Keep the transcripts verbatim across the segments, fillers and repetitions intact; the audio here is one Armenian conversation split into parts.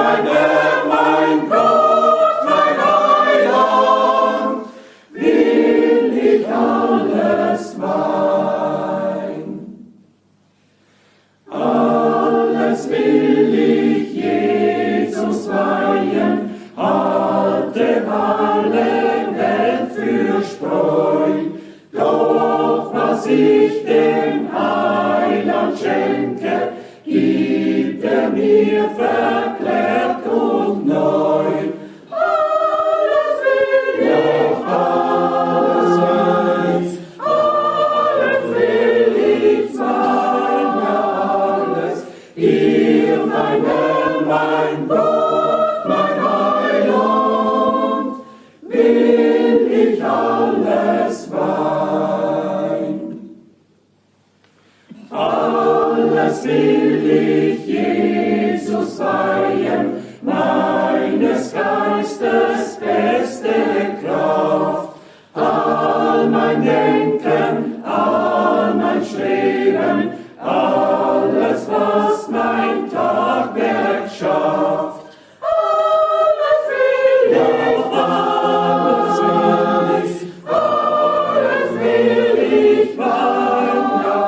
mein Herr, mein Gott, mein Heiland, will ich alles mein. Alles will ich Jesus weihen, halte alle Welt für Spreu, doch was ich dem Heiland schenke, gibt er mir verklärt und neu. Alles will ich, alles will ich, alles will ich sein, ja alles, ihr mein Herr, mein Gott, mein Heiland, will ich alles mein. Alles will ich Jesus weihen, meines Geistes beste Kraft, all mein Denken, all mein Streben, alles, was mein Tagwerk schafft. Alles will ich, alles will ich, alles will ich mein, ja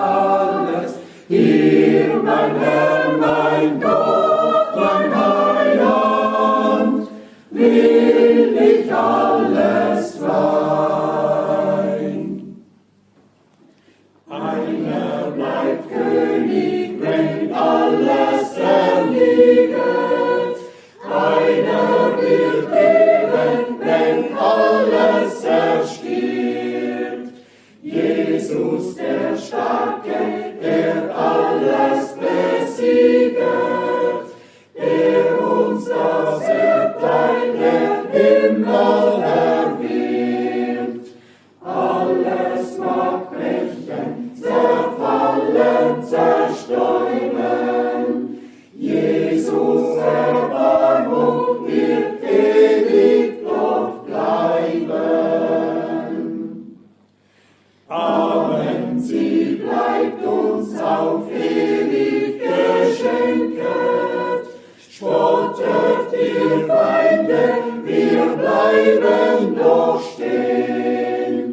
alles, ihr mein Herr, mein Gott, mein Heiland, will ich alles mein. Einer bleibt König, wenn alles erliegt, einer wird leben, wenn alles erstirbt. Jesus der Starke, der alles besieget, der uns das Erbteil der Himmel erwirbt. Alles mag brechen, zerfallen, zerstäuben, Jesus Erbarmung wird ewig doch bleiben. Amen, sie bleibt uns auf ewig geschenket. Spottet ihr Feinde, wir bleiben doch stehen.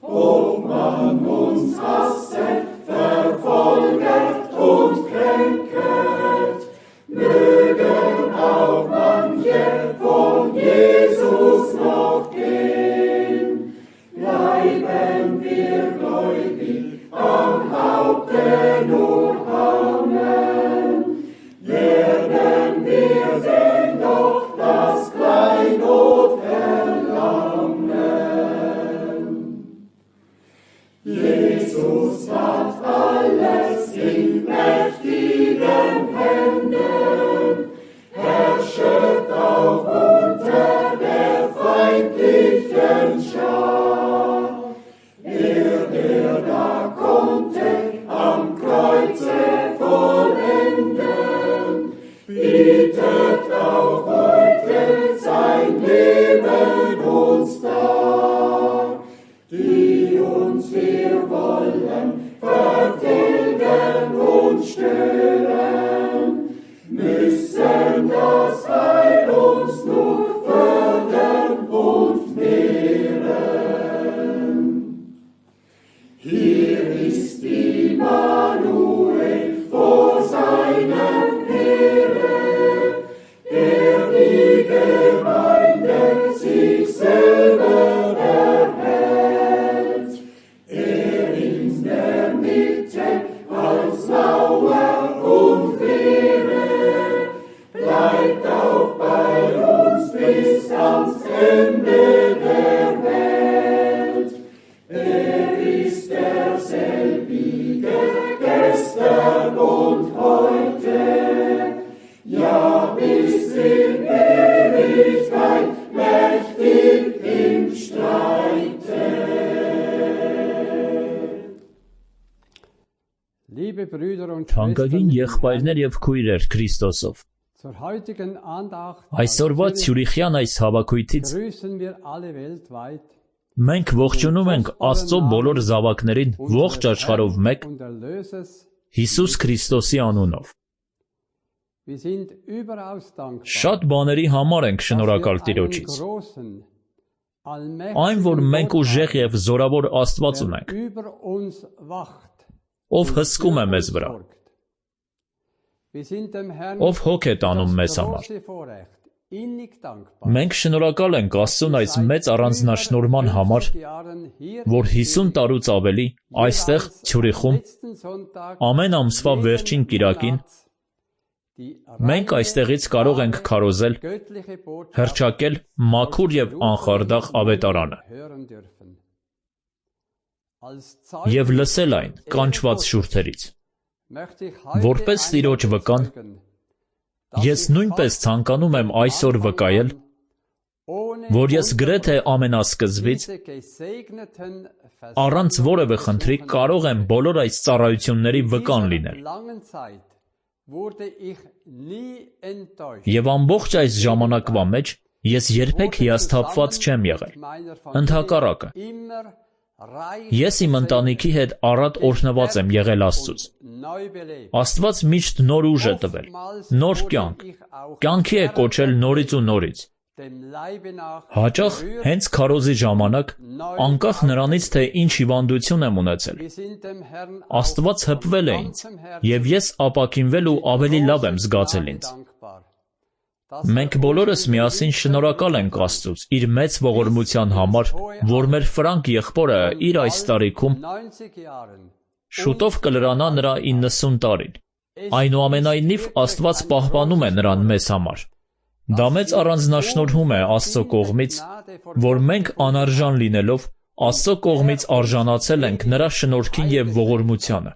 Ob man uns hasset, verfolget und kränket, mögen auch manche von Jesus noch gehen. Bleiben wir gläubig, am Haupte nur Amen. Werden wir denn doch das Kleinod erlangen. Jesus hat alles in mächtigen Händen, herrschet auch unter der feindlichen Schar. Er, der da konnte, am Kreuze vollenden, bietet auch heute sein Leben uns dar. Die uns wir wollen vertilgen und stören, müssen das Heil uns nur fördern und mehren. Hier ist Immanuel vor seinem Heere, der die Gemeinde sich selber erhält. Er in der Mitte als Mauer und Wehre bleibt auch bei uns bis ans Ende der Welt. Er ist derselbige gestern und heute, ja bis in Ewigkeit mächtig im Streite. Թանկագին եղբայրներ եւ քույրեր Քրիստոսով, այսօրվա Ցյուրիխյան այս հավաքույթից մենք ողջունում ենք Աստծո բոլոր զավակներին ողջ աշխարհով մեկ Հիսուս Քրիստոսի անունով։ Շատ բաների համար ենք շնորհակալ Տիրոջից։ Այն, որ մենք ուժեղ և զորավոր Աստված ունենք, ով հսկում է մեզ վրա, ով հոգ է տանում մեզ համար։ Մենք շնորհակալ ենք Աստծուն այս մեծ առանձնաշնորհման համար, որ հիսուն տարուց ավելի այստեղ Ցյուրիխում ամեն ամսվա վերջին կիրակին մենք այստեղից կարող ենք քարոզել, հռչակել մաքուր և անխարդախ ավետարանը և լսել այն կանչված շուրթերից։ Որպես Տիրոջ վկան, ես նույնպես ցանկանում եմ այսօր վկայել, որ ես գրեթե ամենասկզբից, առանց որևէ խնդրի կարող եմ բոլոր այս ծառայությունների վկան լինել։ Եվ ամբողջ այս ժամանակվա մեջ ես երբեք հիասթափված չեմ եղել։ Ընդհակառակը, ես իմ ընտանիքի հետ առատ օրհնված եմ եղել Աստծուց։ Աստված միշտ նոր ուժ է տվել, նոր կյանք, կյանքի է կոչել նորից ու նորից։ Հաճախ հենց քարոզի ժամանակ, անկախ նրանից, թե ինչ հիվանդություն եմ ունեցել, Աստված հպվել է ինձ, և ես ապաքինվել ու ավելի լավ եմ զգացել ինձ։ Մենք բոլորս միասին շնորհակալ ենք Աստծուց իր մեծ ողորմության համար, որ մեր Ֆրանկ եղբորը իր այս տարիքում շուտով կլրանա նրա իննսուն տարին։ Այնուամենայնիվ Աստված պահպանում է նրան մեզ համար։ Դա մեծ առանձնաշնորհում է Աստծո կողմից, որ մենք անարժան լինելով Աստծո կողմից արժանացել ենք նրա շնորհքին և ողորմությանը,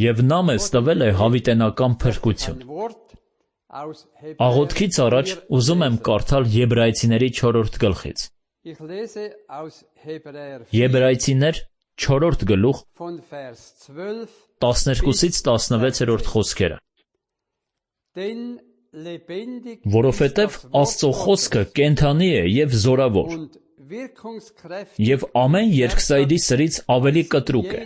և նա մեզ տվել է հավիտենական փրկություն։ Աղոթքից առաջ ուզում եմ կարդալ Եբրայեցիների չորրորդ գլխից։ Եբրայեցիներ չորրորդ գլուխ տասներկուսից տասնվեցերորդ խոսքերը։ Որովհետև Աստծո խոսքը կենդանի է և զորավոր, և ամեն երկսայդի սրից ավելի կտրուկ է,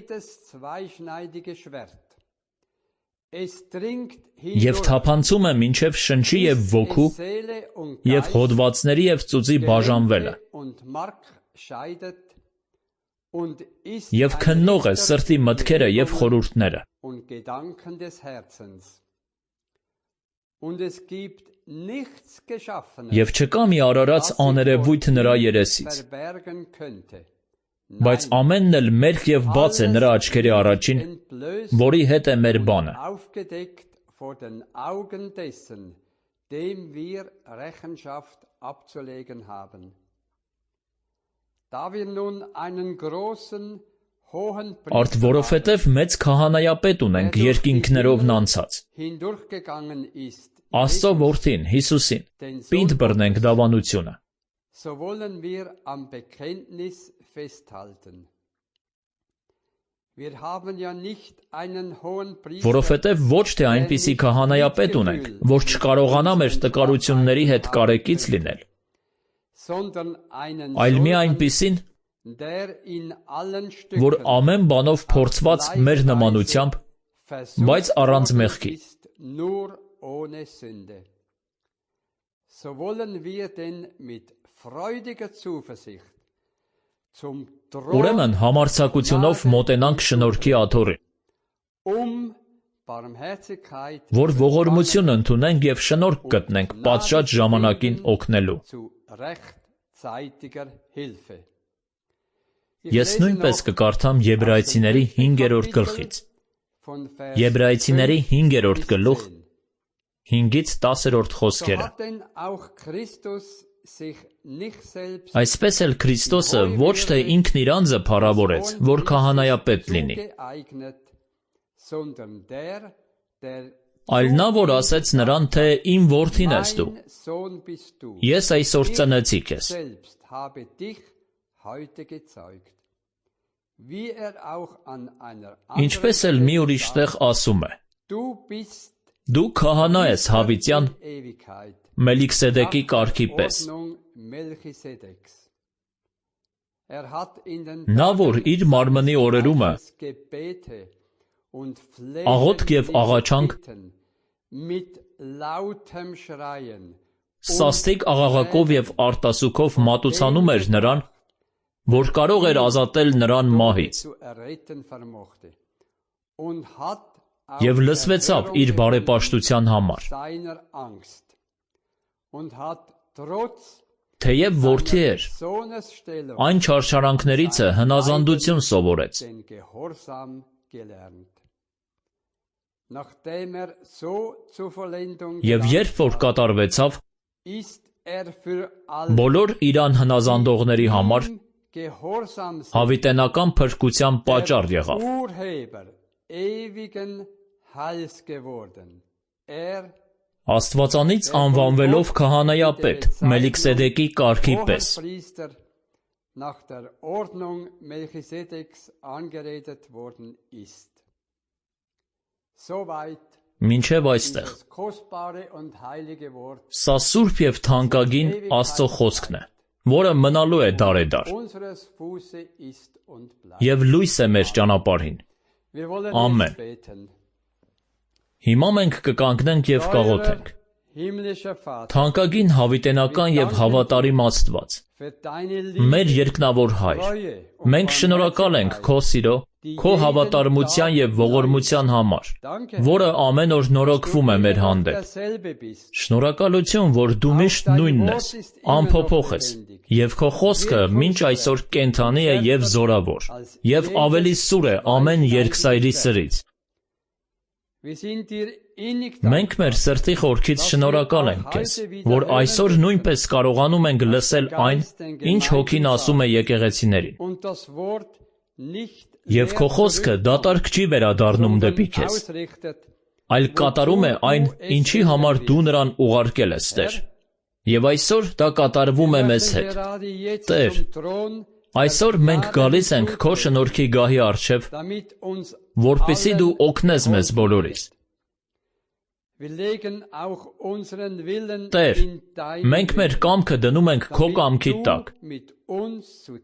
և թափանցում է մինչև շնչի և ոգու, և հոդվածների և ծուծի բաժանվելը, և քննող է սրտի մտքերը և խորհուրդները։ Եվ չկա մի արարած աներևույթ նրա երեսից, բայց ամենն էլ մերկ և բաց է նրա աչքերի առաջին, որի հետ է մեր բանը։ Արդ որովհետև մեծ քահանայապետ ունենք երկինքներովն անցած, Աստծո Որդին Հիսուսին, պինդ բռնենք դավանությունը։ Որովհետև ոչ թե այնպիսի քահանայապետ ունենք, որ չկարողանա մեր տկարությունների հետ կարեկից լինել, այլ մի այնպիսին, որ ամեն բանով փորձված մեր նմանությամբ, բայց առանց մեղքի։ Ուրեմն համարձակությունով մոտենանք շնորհքի աթոռին, որ ողորմություն ընդունենք և շնորհք գտնենք պատշաճ ժամանակին օգնելու։ Ես նույնպես կկարդամ Եբրայեցիների հինգերորդ գլխից։ Եբրայեցիների հինգերորդ գլուխ հինգից տասերորդ խոսքերը։ Այսպես էլ Քրիստոսը ոչ թե ինքն իր անձը փառավորեց, որ քահանայապետ լինի, այլ նա, որ ասեց նրան, թե «Իմ որդին ես դու, ես այսօր ծնեցի քեզ»։ Ինչպես էլ մի ուրիշ տեղ ասում է. «Դու քահանա ես հավիտյան Մելքիսեդեկի կարգի պես»։ Նա, որ իր մարմնի օրերումը աղոթք և աղաչանք Սաստիկ աղաղակով և արտասուքով մատուցանում էր նրան, որ կարող էր ազատել նրան մահից, և լսվեցավ իր բարեպաշտության համար։ Թեև որդի էր, այն չարչարանքներիցը հնազանդություն սովորեց։ Եվ երբ որ կատարվեցավ, բոլոր իրան հնազանդողների համար հավիտենական փրկության պատճառ եղավ։ Աստվածանից անվանվելով քահանայապետ Մելքիսեդեկի կարգի պես։ Մինչև այստեղ։ Սա սուրբ և թանկագին Աստծո խոսքն է, որը մնալու է դարեդար և լույս է մեր ճանապարհին։ Ամեն։ Հիմա մենք կկանգնենք և կաղոթենք։ Թանկագին հավիտենական և հավատարիմ Աստված, մեր երկնավոր Հայր, մենք շնորհակալ ենք Քո սիրո, Քո հավատարմության և ողորմության համար, որը ամեն օր նորոգվում է մեր հանդեպ։ Շնորհակալություն, որ Դու միշտ նույնն ես, անփոփոխ ես, և Քո խոսքը մինչ այսօր կենդանի է և զորավոր, և ավելի սուր է ամեն երկսայրի սրից։ Մենք մեր սրտի խորքից շնորհակալ ենք Քեզ, որ այսօր նույնպես կարողանում ենք լսել այն, ինչ Հոգին ասում է եկեղեցիներին։ Եվ Քո խոսքը դատարկ չի վերադառնում դեպի Քեզ, այլ կատարում է այն, ինչի համար Դու նրան ուղարկել ես, Տեր։ Եվ այսօր դա կատարվում է մեզ հետ։ Տեր, այսօր մենք գալիս ենք Քո շնորհքի գահի առջև, որպեսզի Դու օգնես մեզ բոլորիս։ Տեր, մենք մեր կամքը դնում ենք Քո կամքի տակ,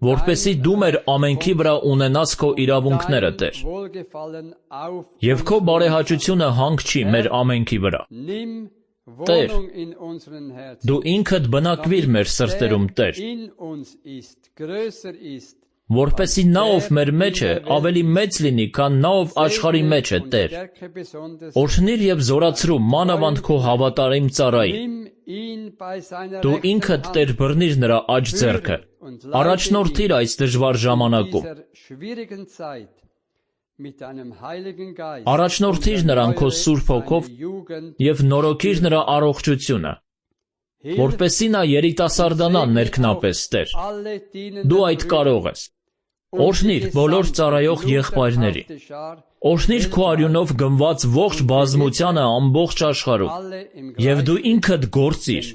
որպեսզի Դու մեր ամենքի վրա ունենաս Քո իրավունքները, Տեր, և Քո բարեհաճությունը հանգչի մեր ամենքի վրա։ Տեր, Դու ինքդ բնակվիր մեր սրտերում, Տեր, որպեսզի նա, ով մեր մեջ է, ավելի մեծ լինի, քան նա, ով աշխարհի մեջ է, Տեր։ Օրհնիր և զորացրու մանավանդ Քո հավատարիմ ծառային։ Դու ինքդ, Տեր, բռնիր նրա աջ ձեռքը, առաջնորդիր այս դժվար ժամանակում։ Առաջնորդիր նրան Քո Սուրբ Հոգով և նորոգիր նրա առողջությունը, որպեսզի նա երիտասարդանա ներքնապես, Տեր։ Դու այդ կարող ես։ Օրհնիր բոլոր ծառայող եղբայրներին։ Օրհնիր Քո արյունով գնված ողջ բազմությանը ամբողջ աշխարհում։ Եվ Դու ինքդ գործիր,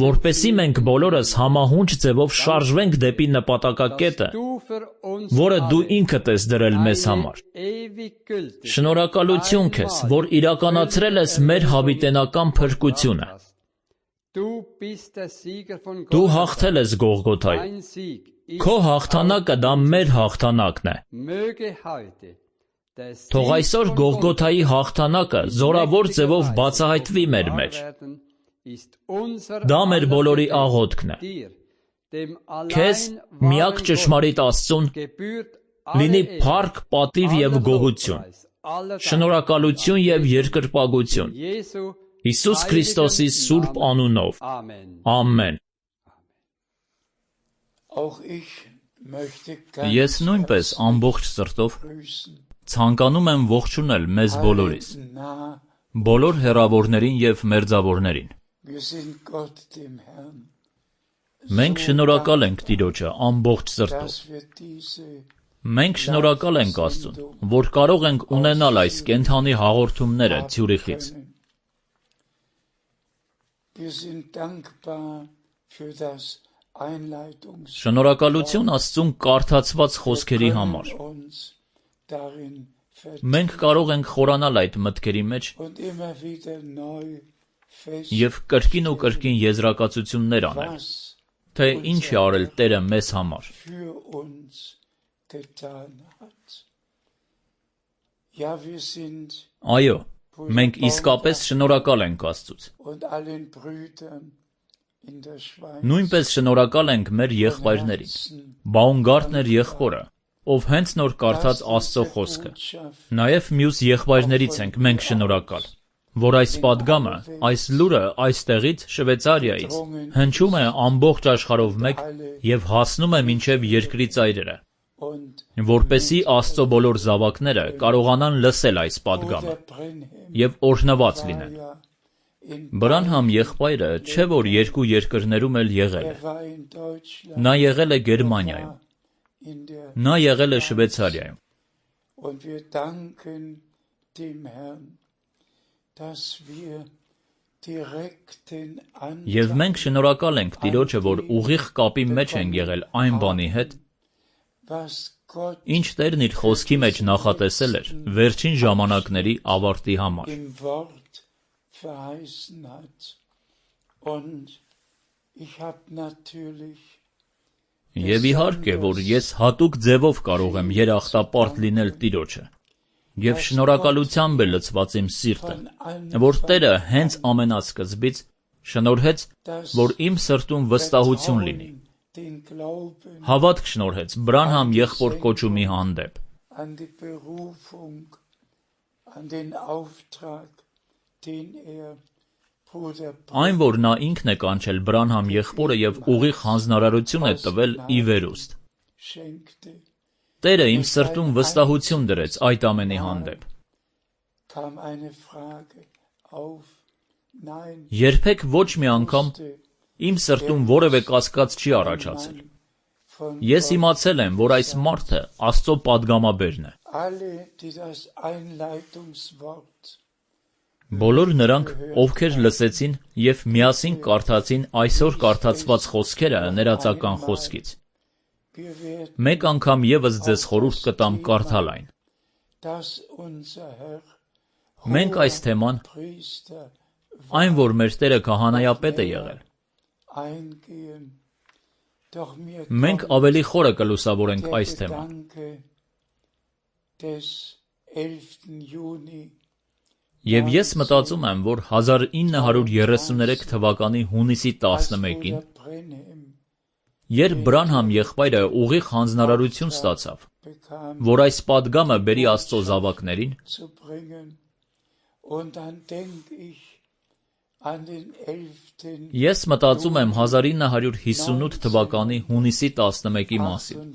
որպեսզի մենք բոլորս համահունչ ձևով շարժվենք դեպի նպատակակետը, որը Դու ինքդ ես դրել մեզ համար։ Շնորհակալություն Քեզ, որ իրականացրել ես մեր հավիտենական փրկությունը։ Դու հաղթել ես Գողգոթայում։ Քո հաղթանակը դա մեր հաղթանակն է։ Թող այսօր Գողգոթայի հաղթանակը զորավոր ձևով բացահայտվի մեր մեջ։ Դա մեր բոլորի աղոթքն է։ Քեզ, միակ ճշմարիտ Աստծուն, լինի փառք, պատիվ և գոհություն, շնորհակալություն և երկրպագություն Հիսուս Քրիստոսի սուրբ անունով։ Ամեն։ Ես նույնպես ամբողջ սրտով ցանկանում եմ ողջունել մեզ բոլորիս, բոլոր հեռավորներին և մերձավորներին։ Մենք շնորհակալ ենք Տիրոջը ամբողջ սրտով։ Մենք շնորհակալ ենք Աստծուն, որ կարող ենք ունենալ այս կենդանի հաղորդումները Ցյուրիխից։ Շնորհակալություն Աստծուն կարդացված խոսքերի համար։ Մենք կարող ենք խորանալ այդ մտքերի մեջ և կրկին ու կրկին եզրակացություններ անել, թե ինչ է արել Տերը մեզ համար։ Այո, Մենք իսկապես շնորհակալ ենք Աստծուց։ Նույնպես շնորհակալ ենք մեր եղբայրներին։ Բաումգարտներ եղբորը, ով հենց նոր կարդաց Աստծո խոսքը։ Նաև մյուս եղբայրներից ենք մենք շնորհակալ, որ այս պատգամը, այս լուրը այստեղից Շվեյցարիայից հնչում է ամբողջ աշխարհով մեկ եւ հասնում է մինչեւ երկրի ծայրերը, որպեսզի Աստծո բոլոր զավակները կարողանան լսել այս պատգամը եւ օրհնված լինեն։ Բրանհամ եղբայրը չէ որ երկու երկրներում էլ եղել է։ Նա եղել է Գերմանիայում։ Նա եղել է Շվեյցարիայում։ Եվ մենք շնորհակալ ենք Տիրոջը, որ ուղիղ կապի մեջ ենք եղել այն բանի հետ, ինչ Տերն իր խոսքի մեջ նախատեսել էր վերջին ժամանակների ավարտի համար։ Եվ իհարկե, որ ես հատուկ ձևով կարող եմ երախտապարտ լինել Տիրոջը, եւ շնորհակալությամբ է լցված իմ սիրտը, որ Տերը հենց ամենասկզբից շնորհեց, որ իմ սրտում վստահություն լինի, հավատք շնորհեց Բրանհամ եղբոր կոչումի հանդեպ, այն, որ նա ինքն է կանչել Բրանհամ եղբորը եւ ուղիղ հանձնարարություն է տվել ի վերուստ։ Տերը իմ սրտում վստահություն դրեց այդ ամենի հանդեպ։ Երբեք ոչ մի անգամ իմ սրտում որևէ կասկած չի առաջացել։ Ես իմացել եմ, որ այս մարդը Աստծո պատգամաբերն է։ Բոլոր նրանք, ովքեր լսեցին եւ միասին կարդացին այսօր կարդացված խոսքերը ներածական խոսքից, մեկ անգամ եւս ձեզ խորհուրդ կտամ կարդալ այն։ Մենք այս թեման, այն որ մեր Տերը քահանայապետ է եղել, մենք ավելի խորը կլուսավորենք այս թեման։ Եվ ես մտածում եմ, որ հազար ինը հարյուր երեսուններեք թվականի հունիսի տասնմեկին, երբ Բրանհամ եղբայրը ուղիղ հանձնարարություն ստացավ, որ այս պատգամը բերի Աստծո զավակներին, ես մտածում եմ հազար ինը հարյուր հիսունութ թվականի հունիսի տասնմեկի մասին։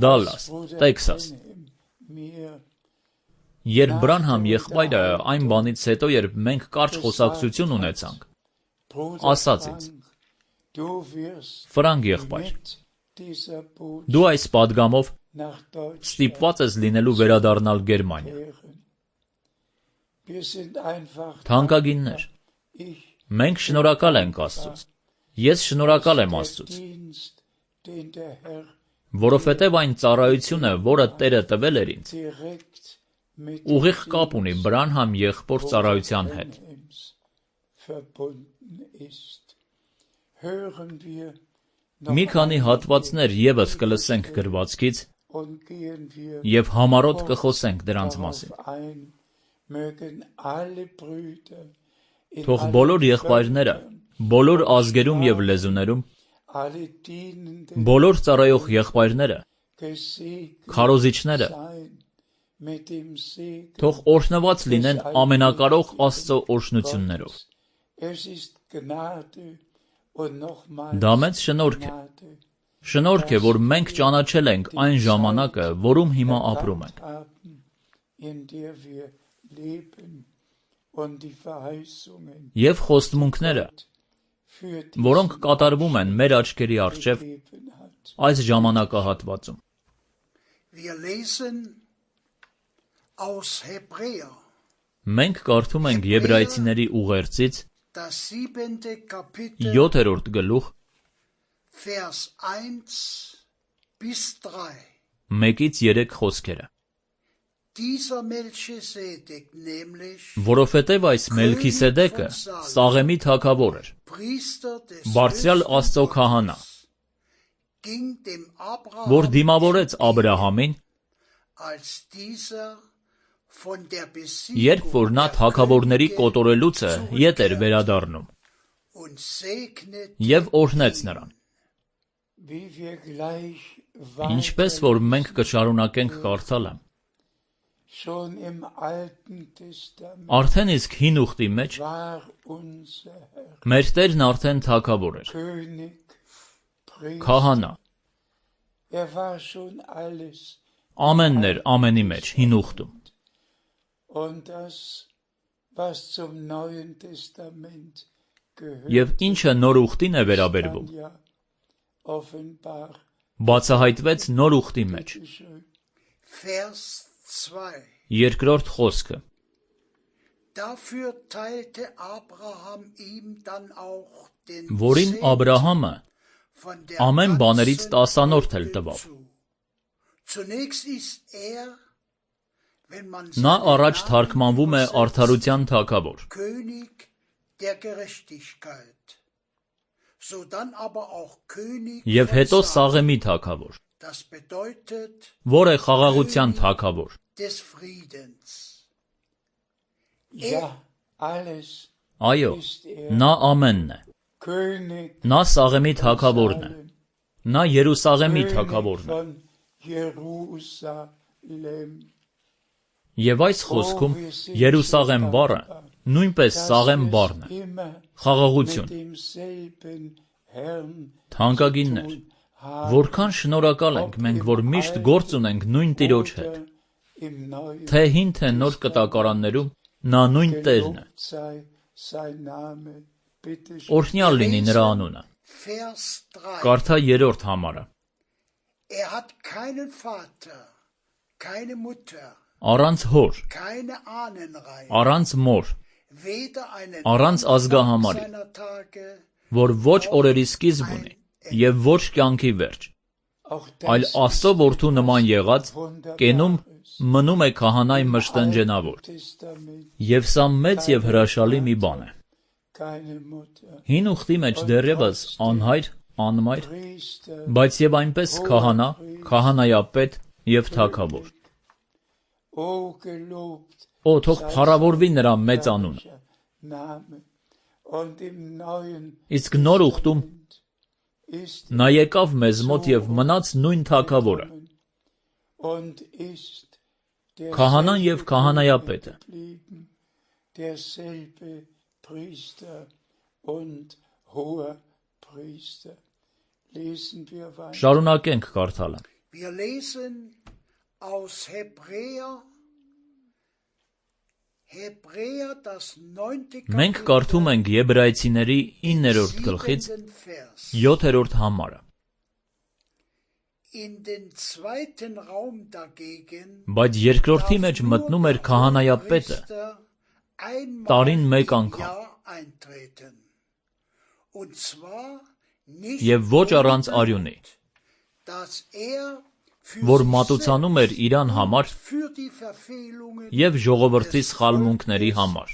Դալլաս, Տեքսաս։ Երբ Բրանհամ եղբայրը այն բանից հետո, երբ մենք կարճ խոսակցություն ունեցանք, ասաց ինձ. Ֆրանկ եղբայր, դու այս պատգամով ստիպված ես լինելու վերադառնալ Գերմանիա։ Թանկագիններ, մենք շնորհակալ ենք Աստծուց։ Ես շնորհակալ եմ Աստծուց, որովհետև այն ծառայությունը, որը Տերը տվել էր ինձ, ուղիղ կապ ունի Բրանհամ եղբոր ծառայության հետ։ Մի քանի հատվածներ ևս կլսենք գրվածքից եւ համառոտ կխոսենք դրանց մասին։ Թող բոլոր եղբայրները, բոլոր ազգերում եւ լեզուներում, բոլոր ծառայող եղբայրները, քարոզիչները, թող օրհնված լինեն ամենակարող Աստծո օրհնություններով։ Դա մեծ շնորհք է։ Շնորհք է, որ մենք ճանաչել ենք այն ժամանակը, որում հիմա ապրում ենք։ Եվ խոստմունքները, որոնք կատարվում են մեր աչքերի առջև այս ժամանակահատվածում։ Մենք կարդում ենք Եբրայեցիների ուղերձից յոթերորդ գլուխ մեկից երեք խոսքերը։ Որովհետև այս Մելքիսեդեկը Սաղեմի թագավոր էր, բարձրյալ Աստծո քահանա, որ դիմավորեց Աբրահամին Երբ որ նա թագավորների կոտորելուց է ետ էր վերադառնում և օրհնեց նրան։ Ինչպես որ մենք կշարունակենք կարդալը, արդեն իսկ հին ուխտի մեջ մեր Տերն արդեն թագավոր էր, քահանա, ամենն էր ամենի մեջ հին ուխտում։ Եվ ինչը նոր ուխտին է վերաբերվում, բացահայտվեց նոր ուխտի մեջ։ Երկրորդ խոսքը. որին Աբրահամը ամեն բաներից տասանորդ էլ տվավ։ Նա առաջ թարգմանվում է արդարության թագավոր, և հետո Սաղեմի թագավոր, որ է խաղաղության թագավոր։ Այո, նա ամենն է։ Նա Սաղեմի թագավորն է։ Նա Երուսաղեմի թագավորն է։ Եվ այս խոսքում Երուսաղեմ բառը նույնպես Սաղեմ բառն է, խաղաղություն։ Թանկագիններ, որքան շնորհակալ ենք մենք, որ միշտ գործ ունենք նույն Տիրոջ հետ, թե հին, թե նոր կտակարաններում նա նույն Տերն է։ Օրհնյալ լինի նրա անունը։ Կարդա երրորդ համարը։ Առանց հոր, առանց մոր, առանց ազգահամարի, որ ոչ օրերի սկիզբ ունի և ոչ կյանքի վերջ, այլ Աստծո որդու նման եղած, կենում մնում է քահանայի մշտնջենավոր։ Եվ սա մեծ և հրաշալի մի բան է։ Հին ուխտի մեջ դեռևս անհայր, անմայր, բայց և այնպես քահանա, քահանայապետ և թագավոր։ Օ, թող փառավորվի նրա մեծ անունը։ Իսկ նոր ուխտում նա եկավ մեզ մոտ և մնաց նույն թագավորը, քահանան և քահանայապետը։ Շարունակենք կարդալը։ Մենք կարդում ենք Եբրայեցիների իններորդ գլխից յոթերորդ համարը։ Բայց երկրորդի մեջ մտնում էր քահանայապետը տարին մեկ անգամ, և ոչ առանց արյունի, որ մատուցանում էր իրան համար և ժողովրդի սխալմունքների համար։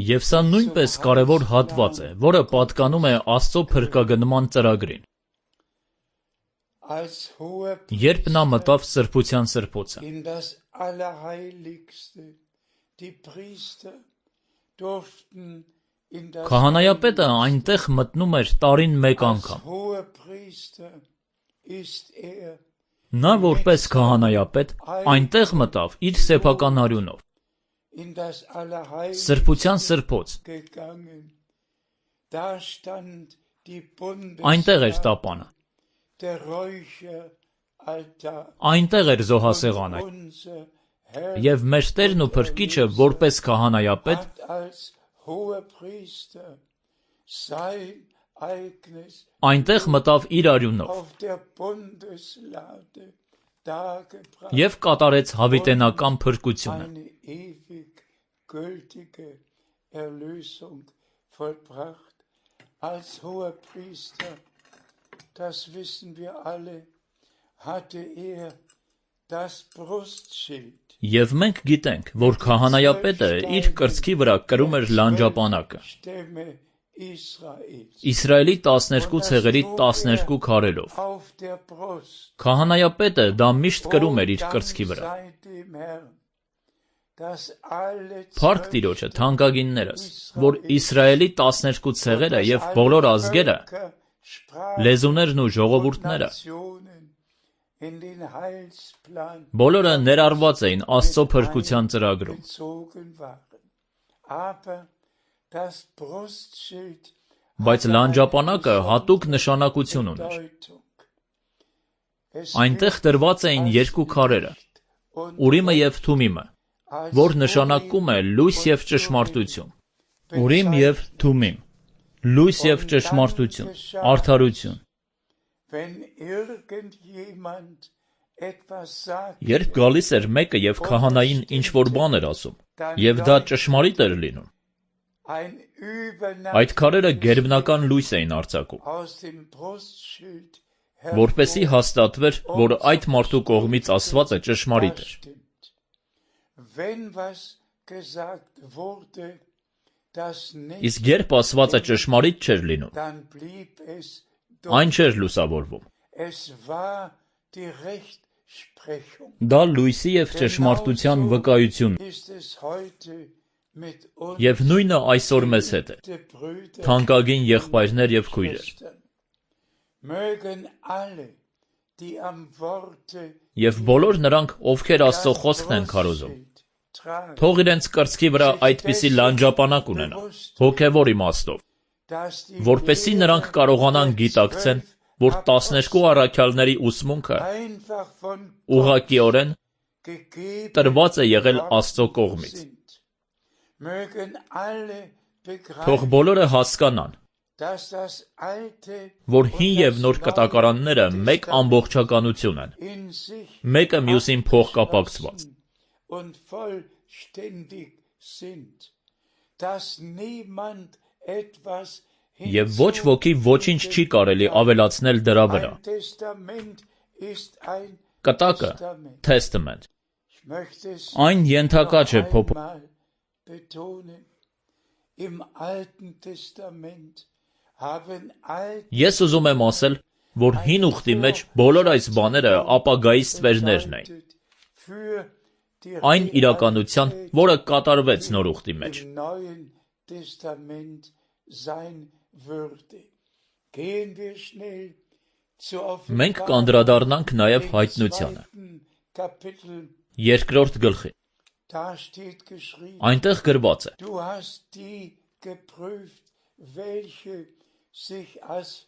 Եվ սա նույնպես կարևոր հատված է, որը պատկանում է Աստծո փրկագնման ծրագրին։ Երբ նա մտավ սրբության սրբոցը, քահանայապետը այնտեղ մտնում էր տարին մեկ անգամ։ Նա որպես քահանայապետ այնտեղ մտավ իր սեփական արյունով, սրբության սրբոց, այնտեղ էր տապանը, այնտեղ էր զոհասեղանը, և մեր Տերն ու Փրկիչը որպես քահանայապետ այնտեղ մտավ իր արյունով և կատարեց հավիտենական փրկությունը։ Als Hohepriester, das wissen wir alle, hatte er das Brustschild. Եվ մենք գիտենք, որ քահանայապետը իր կրծքի վրա կրում էր լանջապանակը, Իսրայելի տասներկու ցեղերի տասներկու քարերով։ Քահանայապետը դա միշտ կրում էր իր կրծքի վրա։ Փառք Տիրոջը, թանկագիններս, որ Իսրայելի տասներկու ցեղերը և բոլոր ազգերը, լեզուներն ու ժողովուրդները բոլորը ներառված էին Աստծո փրկության ծրագրում։ Բայց լանջապանակը հատուկ նշանակություն ուներ։ Այնտեղ դրված էին երկու քարերը՝ Ուրիմը և Թումիմը, որ նշանակում է լույս և ճշմարտություն։ Ուրիմ և Թումիմ, լույս և ճշմարտություն, արդարություն։ Երբ գալիս էր մեկը և քահանային ինչ-որ բան էր ասում, և դա ճշմարիտ էր լինում, այդ քարերը գերբնական լույս էին արձակում, որպեսզի հաստատվեր, որ այդ մարդու կողմից ասվածը ճշմարիտ էր։ Իսկ երբ ասվածը ճշմարիտ չէր լինում, այն չէր լուսավորվում։ Դա լույսի և ճշմարտության վկայությունն է։ Եվ նույնը այսօր մեզ հետ է, թանկագին եղբայրներ և քույրեր։ Եվ բոլոր նրանք, ովքեր Աստծո խոսքն են քարոզում, թող իրենց կրծքի վրա այդպիսի լանջապանակ ունենան, հոգևոր իմաստով, որպեսզի նրանք կարողանան գիտակցեն, որ տասներկու առաքյալների ուսմունքը ուղղակիորեն տրված է եղել Աստծո կողմից։ Թող բոլորը հասկանան, որ հին և նոր կտակարանները մեկ ամբողջականություն են, մեկը մյուսին փոխկապակցված։ Եվ ոչ ոքի ոչինչ չի կարելի ավելացնել դրա վրա։ Կտակը Testament, այն ենթակա չէ փոփոխության։ Ես ուզում եմ ասել, որ հին ուխտի մեջ բոլոր այս բաները ապագայի ստվերներն էին, այն իրականության, որը կատարվեց նոր ուխտի մեջ։ Մենք կանդրադառնանք նաև հայտնությանը, երկրորդ գլխին։ Այնտեղ գրված է.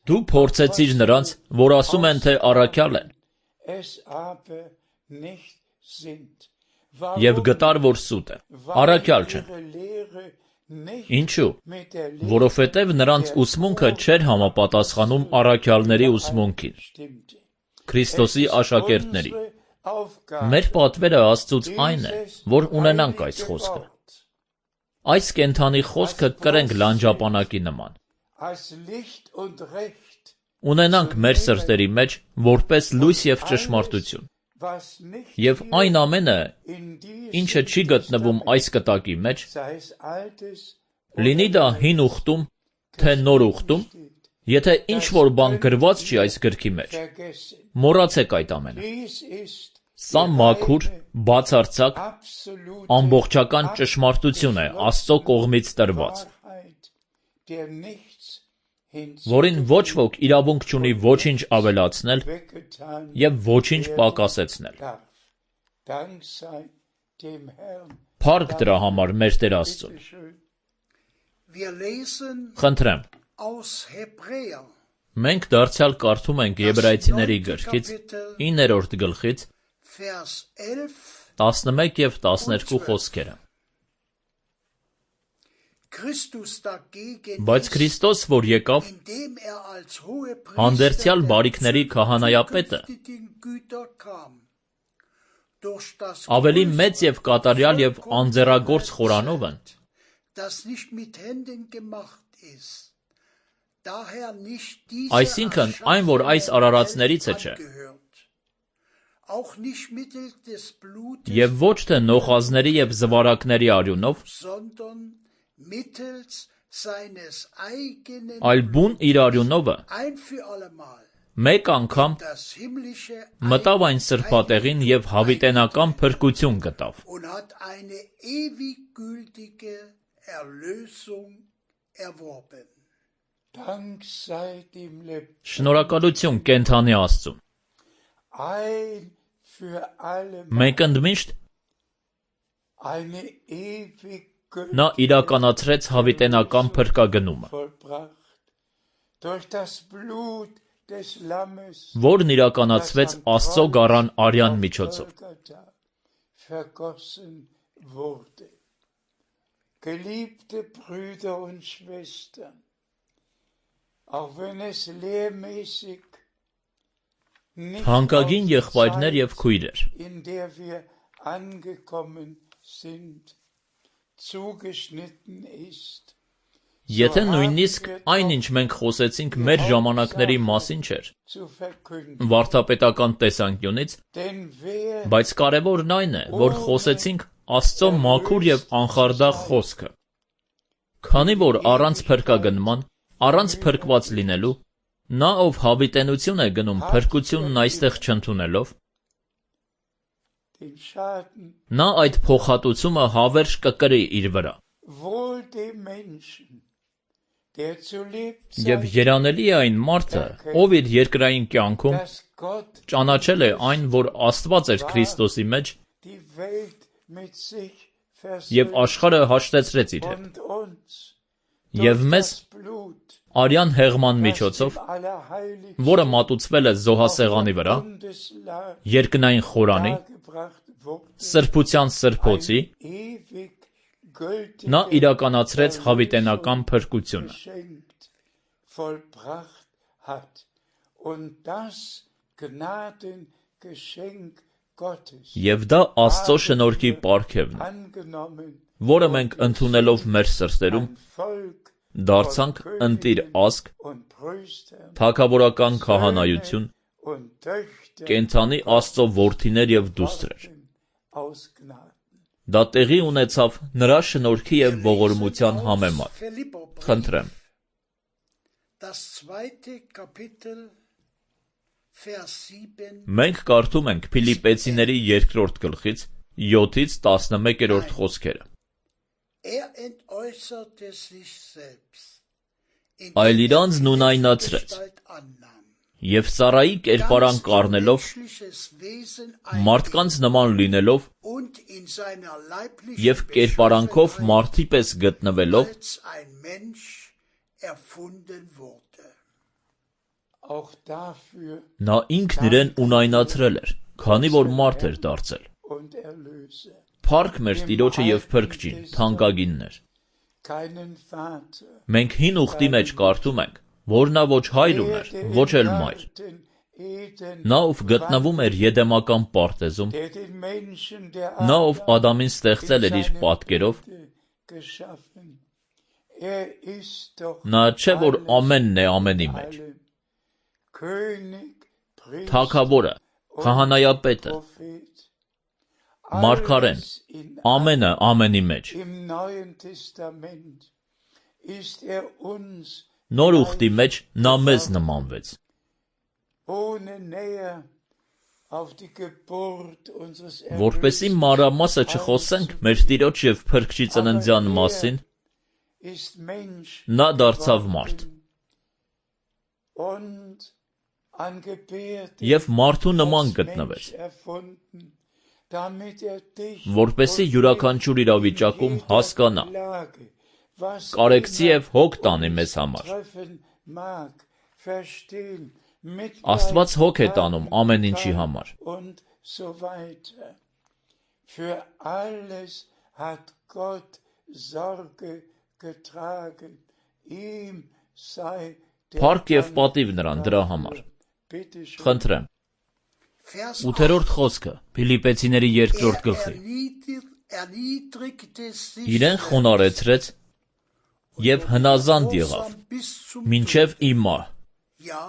Դու փորձեցիր նրանց, որ ասում են, թե առաքյալ են, և գտար, որ սուտ է, առաքյալ չեն։ Ինչու՞։ Որովհետև նրանց ուսմունքը չէր համապատասխանում առաքյալների ուսմունքին, Քրիստոսի աշակերտների։ Մեր պատվերը Աստծուց այն է, որ ունենանք այս խոսքը։ Այս կենդանի խոսքը կրենք լանջապանակի նման։ Ունենանք մեր սրտերի մեջ որպես լույս և ճշմարտություն։ Եվ այն ամենը, ինչը չի գտնվում այս կտակի մեջ, լինի դա հին ուխտում, թե նոր ուխտում, եթե ինչ-որ բան գրված չի այս գրքի մեջ, մոռացեք այդ ամենը։ Սա մաքուր, բացարձակ, ամբողջական ճշմարտություն է Աստծո կողմից տրված, որին ոչ ոք իրավունք չունի ոչինչ ավելացնել և ոչինչ պակասեցնել։ Փառք դրա համար մեր Տեր Աստծուն։ Խնդրեմ, մենք դարձյալ կարդում ենք Եբրայեցիների գրքից իններորդ գլխից տասնմեկ և տասներկու խոսքերը։ Բայց Քրիստոս, որ եկավ, հանդերձյալ բարիքների քահանայապետը, ավելի մեծ և կատարյալ և անձեռագործ խորանովն, այսինքն այն, որ այս արարածներիցը չէ, auch nicht mittels des Blutes, Եվ ոչ թե նոխազների և զվարակների արյունով, sondern mittels seines eigenen այլ բուն իր արյունովը ein für allemal մեկ անգամ das himmlische մտավ այն սրբատեղին և հավիտենական փրկություն գտավ։ und hat eine ewig gültige Erlösung erworben. Dank sei dem Leb Շնորհակալություն կենդանի Աստծուն։ ein für alle Մենք ընդմիշտ eine ewig նա իրականացրեց հավիտենական փրկագնումը, vollbracht durch das Blut des Lammes, որն իրականացվեց Աստծո գառան արյան միջոցով։ Golgatha vergossen wurde. Geliebte Brüder und Schwestern, auch wenn es lehrmäßig nicht Թանկագին auf die եղբայրներ Zeit, և քույրեր, in der wir angekommen sind, zugeschnitten ist, եթե նույնիսկ այն, ինչ մենք խոսեցինք մեր ժամանակների մասին չէր, zu verkünden. վարդապետական տեսանկյունից, Denn wer բայց կարևորն այն է, որ խոսեցինք Աստծո մաքուր և անխարդախ խոսքը։ Քանի որ առանց փրկագնման, առանց փրկված լինելու, նա ով հավիտենություն է գնում փրկությունն այստեղ չընդունելով, den Schaden նա այդ փոխհատուցումը հավերժ կկրի իր վրա։ wohl dem Menschen, der zu Եվ Lebzeiten երանելի է այն մարդը, ով իր երկրային կյանքում dass Gott ճանաչել է այն, որ Աստված էր Քրիստոսի մեջ die Welt mit sich և versöhnt աշխարհը հաշտեցրեց իր հետ, und uns և durch մեզ das Blut, արյան հեղման das միջոցով, dem Allerheiligsten որը մատուցվել է զոհասեղանի վրա, Bundeslag երկնային խորանի, dargebracht wurde, սրբության սրբոցի, ewig gültige նա իրականացրեց հավիտենական փրկությունը։ geschenkt, vollbracht hat. Und das Gnadengeschenk Gottes Եվ դա Աստծո շնորհքի պարգևն է, angenommen, որը մենք ընդունելով մեր սրտերում ein Volk դարձանք ընտիր ազգ, und Priestern, թագավորական քահանայություն, und Töchter կենդանի Աստծո որդիներ և դուստրեր։ aus Gnaden. Դա տեղի ունեցավ նրա շնորհքի և ողորմության համեմատ։ Philipperbrief, Խնդրեմ, das zweite Kapitel, Vers sieben, մենք կարդում ենք Փիլիպպեցիների երկրորդ գլխից յոթից տասնմեկերորդ խոսքերը։ er entäußerte sich selbst, Այլ իրանց նույնայնացրեց, Gestalt annahm, և Սարայի կերպարանք առնելով, menschliches Wesen մարդկանց նման լինելով und in seiner leiblichen և կերպարանքով Beschaffenheit մարդի պես գտնվելով, als ein Mensch erfunden wurde. Auch dafür նա ինքն իրեն ունայնացրել էր, քանի որ մարդ էր դարձել։ und Erlöser. Փառք մեր Տիրոջը և Փրկչին, թանկագիններ։ Keinen Vater, Մենք հին ուխտի մեջ կարդում ենք, որ նա ոչ հայր ուներ, ոչ էլ մայր։ den Eden, Նա ով գտնվում էր Եդեմական պարտեզում, der den Menschen der նա ով Ադամին ստեղծել էր իր պատկերով, geschaffen. Er ist doch նա չէ որ ամենն է ամենի մեջ, allem. König, Priester, թագավորը, քահանայապետը, Prophet, մարգարեն, alles in ամենը ամենի մեջ։ Im Neuen Testament ist er uns Նոր ուխտի մեջ նա մեզ նմանվեց։ ohne näher auf die Geburt unseres Որպեսի մանրամասը չխոսենք մեր Տիրոջ և Փրկչի ծննդյան մասին, ist Mensch նա դարձավ մարդ und angebärt և մարդու նման als գտնվեց, Mensch erfunden, damit er dich որպեսի und յուրաքանչյուր mich իրավիճակում in jeder հասկանա, Lage, was կարեկցի immer և հոգ տանի uns մեզ համար։ treffen mag, verstehen, Աստված հոգ է Mitleid տանում haben ամեն ինչի kann համար։ und so weiter. Für alles hat Gott Sorge getragen. Ihm sei der Փառք և Dank պատիվ նրան դրա համար։ dafür. Bitte schön. Խնդրեմ, Vers ութերորդ խոսքը Փիլիպպեցիների երկրորդ Er գլխի։ erniedrig- erniedrigte sich Իրեն խոնարեցրեց և հնազանդ եղավ, gehorsam bis zum մինչև ի մահ, ja,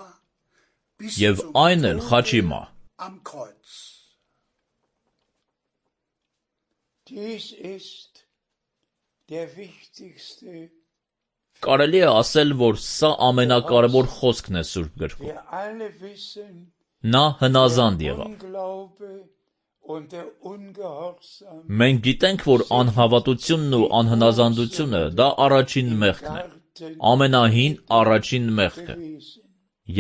bis և zum այն էլ Tode խաչի մահ։ am Kreuz. Dies ist der wichtigste. Կարելի է ասել, որ սա ամենակարևոր խոսքն է Սուրբ գրքում։ Wir alle wissen, Նա հնազանդ der եղավ։ Unglaube und der Ungehorsam Մենք գիտենք, որ անհավատությունն ու անհնազանդությունը դա առաջին մեղքն է, Garten ամենահին առաջին մեղքը։ gewesen.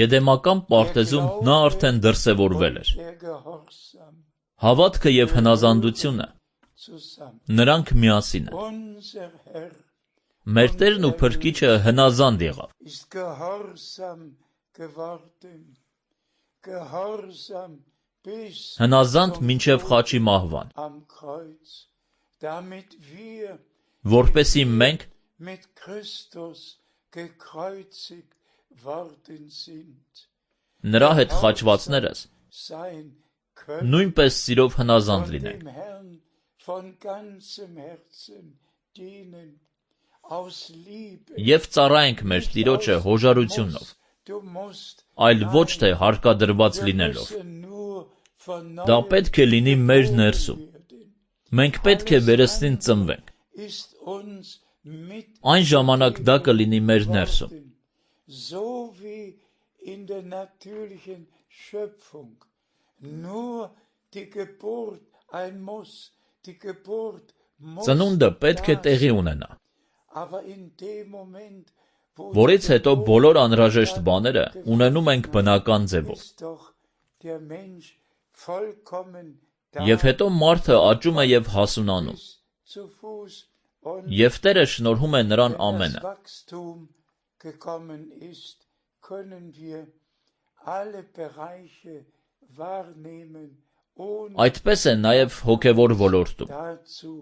Եդեմական պարտեզում նա արդեն դրսևորվել էր։ Der Gehorsam Հավատքը եւ հնազանդությունը zusammen. նրանք միասին են։ Unser Herr Մեր Տերն ու Փրկիչը հնազանդ եղավ։ ist gehorsam geworden. Gehorsam bis Հնազանդ zum մինչև Tod խաչի մահվան, am Kreuz, damit wir որպեսզի մենք mit Christus gekreuzigt worden sind, նրա հետ խաչվածներս sein können նույնպես սիրով հնազանդ und լինենք։ dem Herrn von ganzem Herzen dienen, aus Liebe. Եվ ծառայենք մեր Տիրոջը հոժարությունով, Du musst այլ ոչ թե հարկադրված Wir լինելով։ müssen nur von Դա neuem պետք է լինի մեր ներսում։ werden. Մենք պետք է վերստին ծնվենք։ Ist uns mit Այն ժամանակ դա կլինի մեր ներսում։ worden, so wie in der natürlichen Schöpfung nur die Geburt ein Muss, die Geburt muss Ծնունդը պետք է da տեղի sein. ունենա, Aber in dem Moment, wo որից die հետո Geburt բոլոր անհրաժեշտ բաները stattgefunden ունենում ենք hat, բնական ձևով։ ist doch der Mensch vollkommen Եվ հետո մարդը աճում է եւ հասունանում, bis zu Fuß und եւ Տերը շնորհում է նրան wenn ամենը։ das Wachstum gekommen ist, können wir alle Bereiche wahrnehmen, ohne Այդպես է նաեւ հոգեվոր ոլորտում։ dazu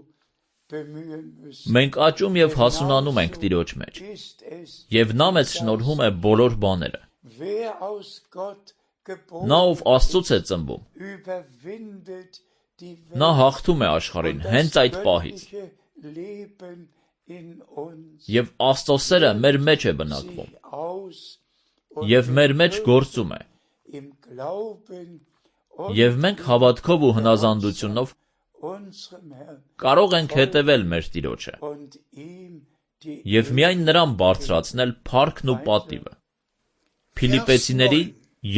bemühen müssen. Մենք աճում եւ հասունանում ենք Տիրոջ մեջ, Ist es, եւ նա մեզ շնորհում է բոլոր բաները։ wer aus Gott geboren Նա ով Աստծուց է ծնվում, überwindet die նա Welt հաղթում է աշխարհին und հենց das այդ պահից, göttliche Leben in uns եւ Աստծո սերը մեր մեջ է բնակվում, sich aus und եւ մեր մեջ wir գործում է, im Glauben und եւ մենք հավատքով ու հնազանդությունով unserem Herrn կարող ենք հետևել մեր Տիրոջը und ihm die եւ միայն նրան բարձրացնել փառքն ու պատիվը։ Փիլիպպեցիների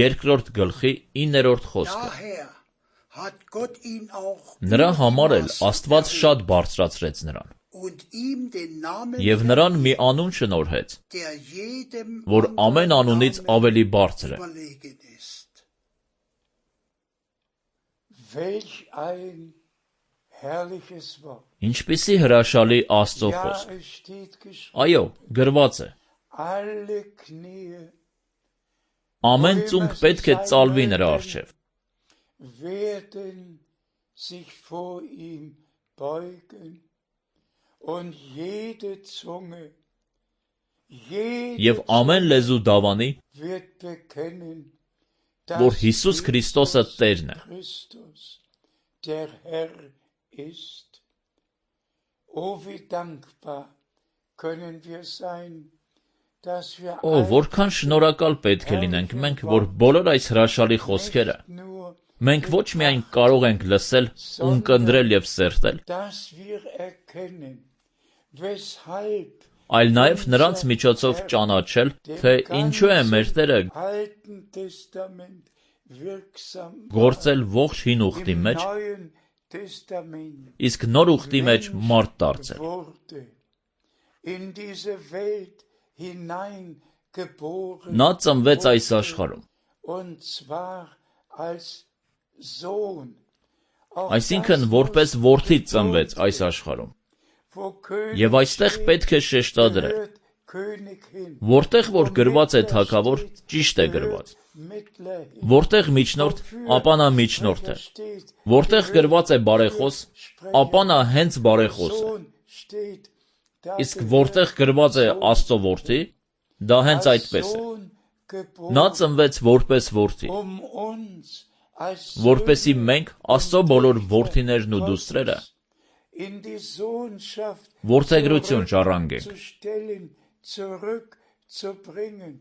երկրորդ գլխի իններորդ խոսքը։ Daher hat Gott ihn auch Նրա über die համար էլ Maßen Աստված erhöht շատ բարձրացրեց նրան und ihm den Namen եւ նրան մի անուն շնորհեց, der jedem որ anderen ամեն անունից Namen ավելի բարձր է։ überlegen ist. welch ein herrliches Wort. Ինչպիսի հրաշալի Աստծո Ja, խոսք։ es steht geschrieben, Այո, գրված է։ alle Knie Ամեն ծունկ պետք է ծալվի նրա առջև, werden sich vor ihm beugen und jede Zunge, jede եւ ամեն լեզու դավանի, wird bekennen, որ dass Հիսուս Քրիստոսը Տերն է։ Christus der Herr ist. Oh, wie dankbar können wir sein, dass wir Օ, որքան շնորհակալ պետք է լինենք մենք, որ բոլոր այս հրաշալի խոսքերը nicht nur, մենք ոչ միայն կարող ենք լսել, ունկնդրել եւ սերտել, dass wir erkennen, weshalb այլ նաեւ նրանց միջոցով ճանաչել, թե ինչու է մեր Տերը Alten Testament wirksam գործել ողջ հին ուխտի im մեջ, Neuen Testament իսկ նոր ուխտի մեջ մարդ դարձել։ wurde, in diese Welt hineingeboren Նա ծնվեց այս աշխարհում, und zwar als Sohn. Auch այսինքն das որպես muss որդի betont ծնվեց այս werden. աշխարհում։ Wo König Եվ այստեղ steht, պետք է շեշտադրել, gehört König hin. որտեղ որ Wo գրված է Mittler թագավոր, steht, ճիշտ է gehört գրված, Mittler hin. որտեղ միջնորդ, ապա նա միջնորդ է, Steht, որտեղ gehört գրված է բարեխոս, ապա նա հենց բարեխոս է, Sohn steht, da իսկ gehört որտեղ գրված է Sohn. Աստծո որդի, դա հենց Als այդպես է։ Sohn geboren, Նա ծնվեց որպես որդի, um uns als որպեսի Söhne մենք Աստծո բոլոր որդիներն ու Gottes դուստրերը in die Sohnschaft որդեգրություն ժառանգենք, zurückzustellen, zurückzubringen.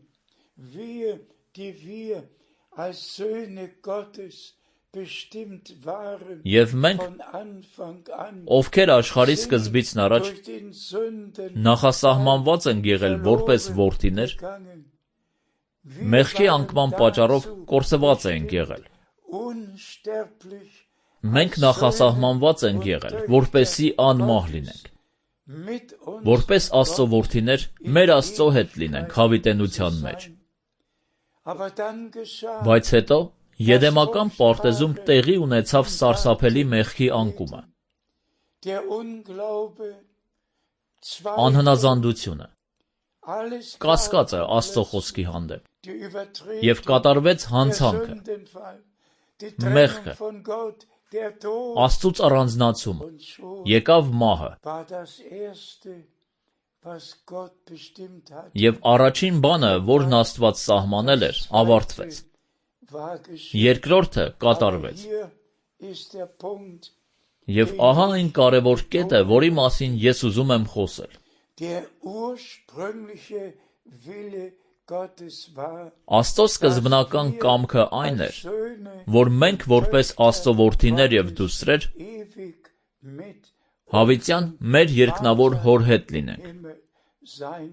Wir, die wir als Söhne Gottes bestimmt waren Եվ մենք, von Anfang an, ովքեր աշխարհի սկզբից առաջ durch den Sünden նախասահմանված են եղել որպես որդիներ, gegangen. մեղքի անկման պատճառով կորսված ենք եղել։ Unsterblich Մենք նախասահմանված ենք եղել, որպեսզի անմահ լինենք, mit uns որպես Աստծո որդիներ մեր Աստծո հետ լինենք հավիտենության մեջ։ aber dann geschah Բայց հետո Եդեմական պարտեզում տեղի ունեցավ սարսափելի մեղքի անկումը, der Unglaube, անհնազանդությունը, alles կասկածը Աստծո խոսքի հանդեպ, die Übertretung, եւ կատարվեց der հանցանքը, Sündenfall, die Մեղքը, Trennung von Gott, der Tod, Աստծուց առանձնացումը, und schon եկավ մահը, war das Erste, was Gott bestimmt hat, եւ առաջին բանը, որն Աստված սահմանել էր, ավարտվեց, war geschehen. երկրորդը Aber կատարվեց։ hier ist der Punkt, Եվ ահա այն կարևոր կետը, որի մասին ես ուզում եմ խոսել։ der ursprüngliche Wille Gottes war, Աստծո սկզբնական կամքը այն էր, als Söhne որ մենք որպես Աստծո որդիներ եւ դուստրեր ewig mit հավիտյան մեր երկնավոր հոր հետ լինենք։ Himmel sein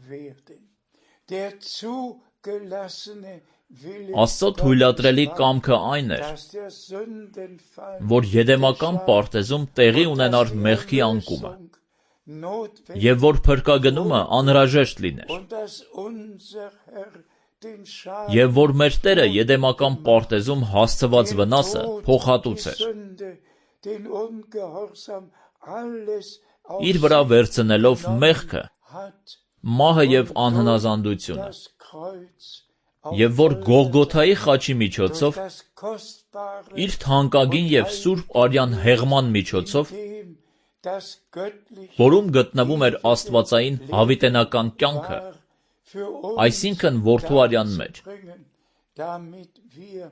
werden. Der zugelassene Wille Աստծո թույլատրելի կամքը այն էր, dass der Sündenfall որ Եդեմական պարտեզում տեղի ունենար մեղքի անկումը, notwendig եւ որ փրկագնումը անհրաժեշտ լիներ, und dass unser Herr den Schaden, եւ որ մեր Տերը Եդեմական պարտեզում հասցված վնասը die փոխհատուցեր, Sünde, den Ungehorsam, alles իր վրա վերցնելով մեղքը, hat մահը եւ անհնազանդությունը, das Kreuz եւ որ Գողգոթայի խաչի միջոցով das kostbare իր թանկագին եւ սուրբ արյան հեղման միջոցով, dem das göttliche որում գտնվում էր աստվածային հավիտենական կյանքը, war für uns այսինքն որդու արյան մեջ, bringen, damit wir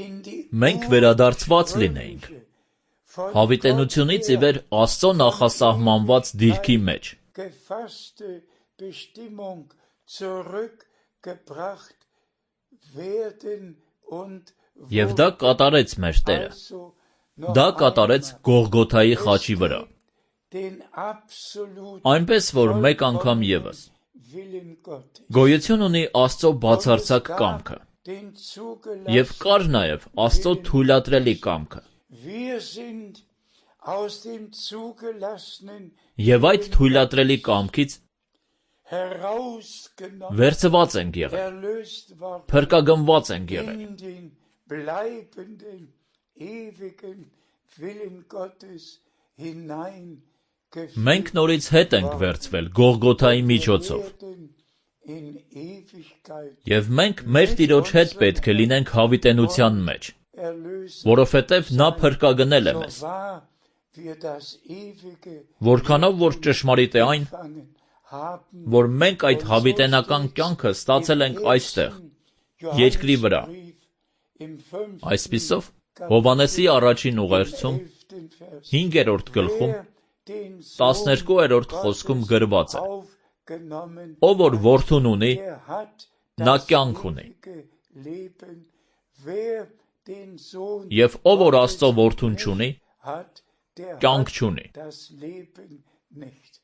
in die մենք վերադարձված լինեինք von հավիտենությունից ի վեր Աստծո նախասահմանված դիրքի մեջ, gefasste Bestimmung zurückgebracht werden und եւ դա կատարեց մեր Տերը, also դա կատարեց Գողգոթայի խաչի վրա, den absolut այնպես որ մեկ անգամ եւս Willen Gottes, գոյություն ունի Աստծո բացարձակ կամքը den եւ zugelassen. կար նաեւ Աստծո թույլատրելի կամքը, Wir sind aus dem zugelassenen եւ այդ թույլատրելի կամքից herausgenommen, վերցված ենք եղել, erlöst worden փրկագնված ենք եղել, in den bleibenden, ewigen Willen Gottes hineingeführt մենք նորից հետ ենք վերցվել Գողգոթայի միջոցով, werden in Ewigkeit եւ մենք մեր Տիրոջ հետ պետք է լինենք հավիտենության մեջ, erlöst. որովհետեւ նա փրկագնել է So մեզ, wahr wir das ewige որքանով որ ճշմարիտ է այն, Fangen haben, որ մենք այդ հավիտենական կյանքը ստացել ենք այստեղ, երկրի վրա, im fünften այսպիսով Հովհաննեսի առաջին ուղերձում Vers, հինգերորդ գլխում wer den Sohn տասներկուերորդ խոսքում գրված է. aufgenommen, Ով որ որդուն ունի, der hat նա das կյանք ունի, ewige Leben. Wer den Sohn եւ ով որ Աստծո որդուն չունի, hat, der կյանք hat չունի։ das Leben nicht.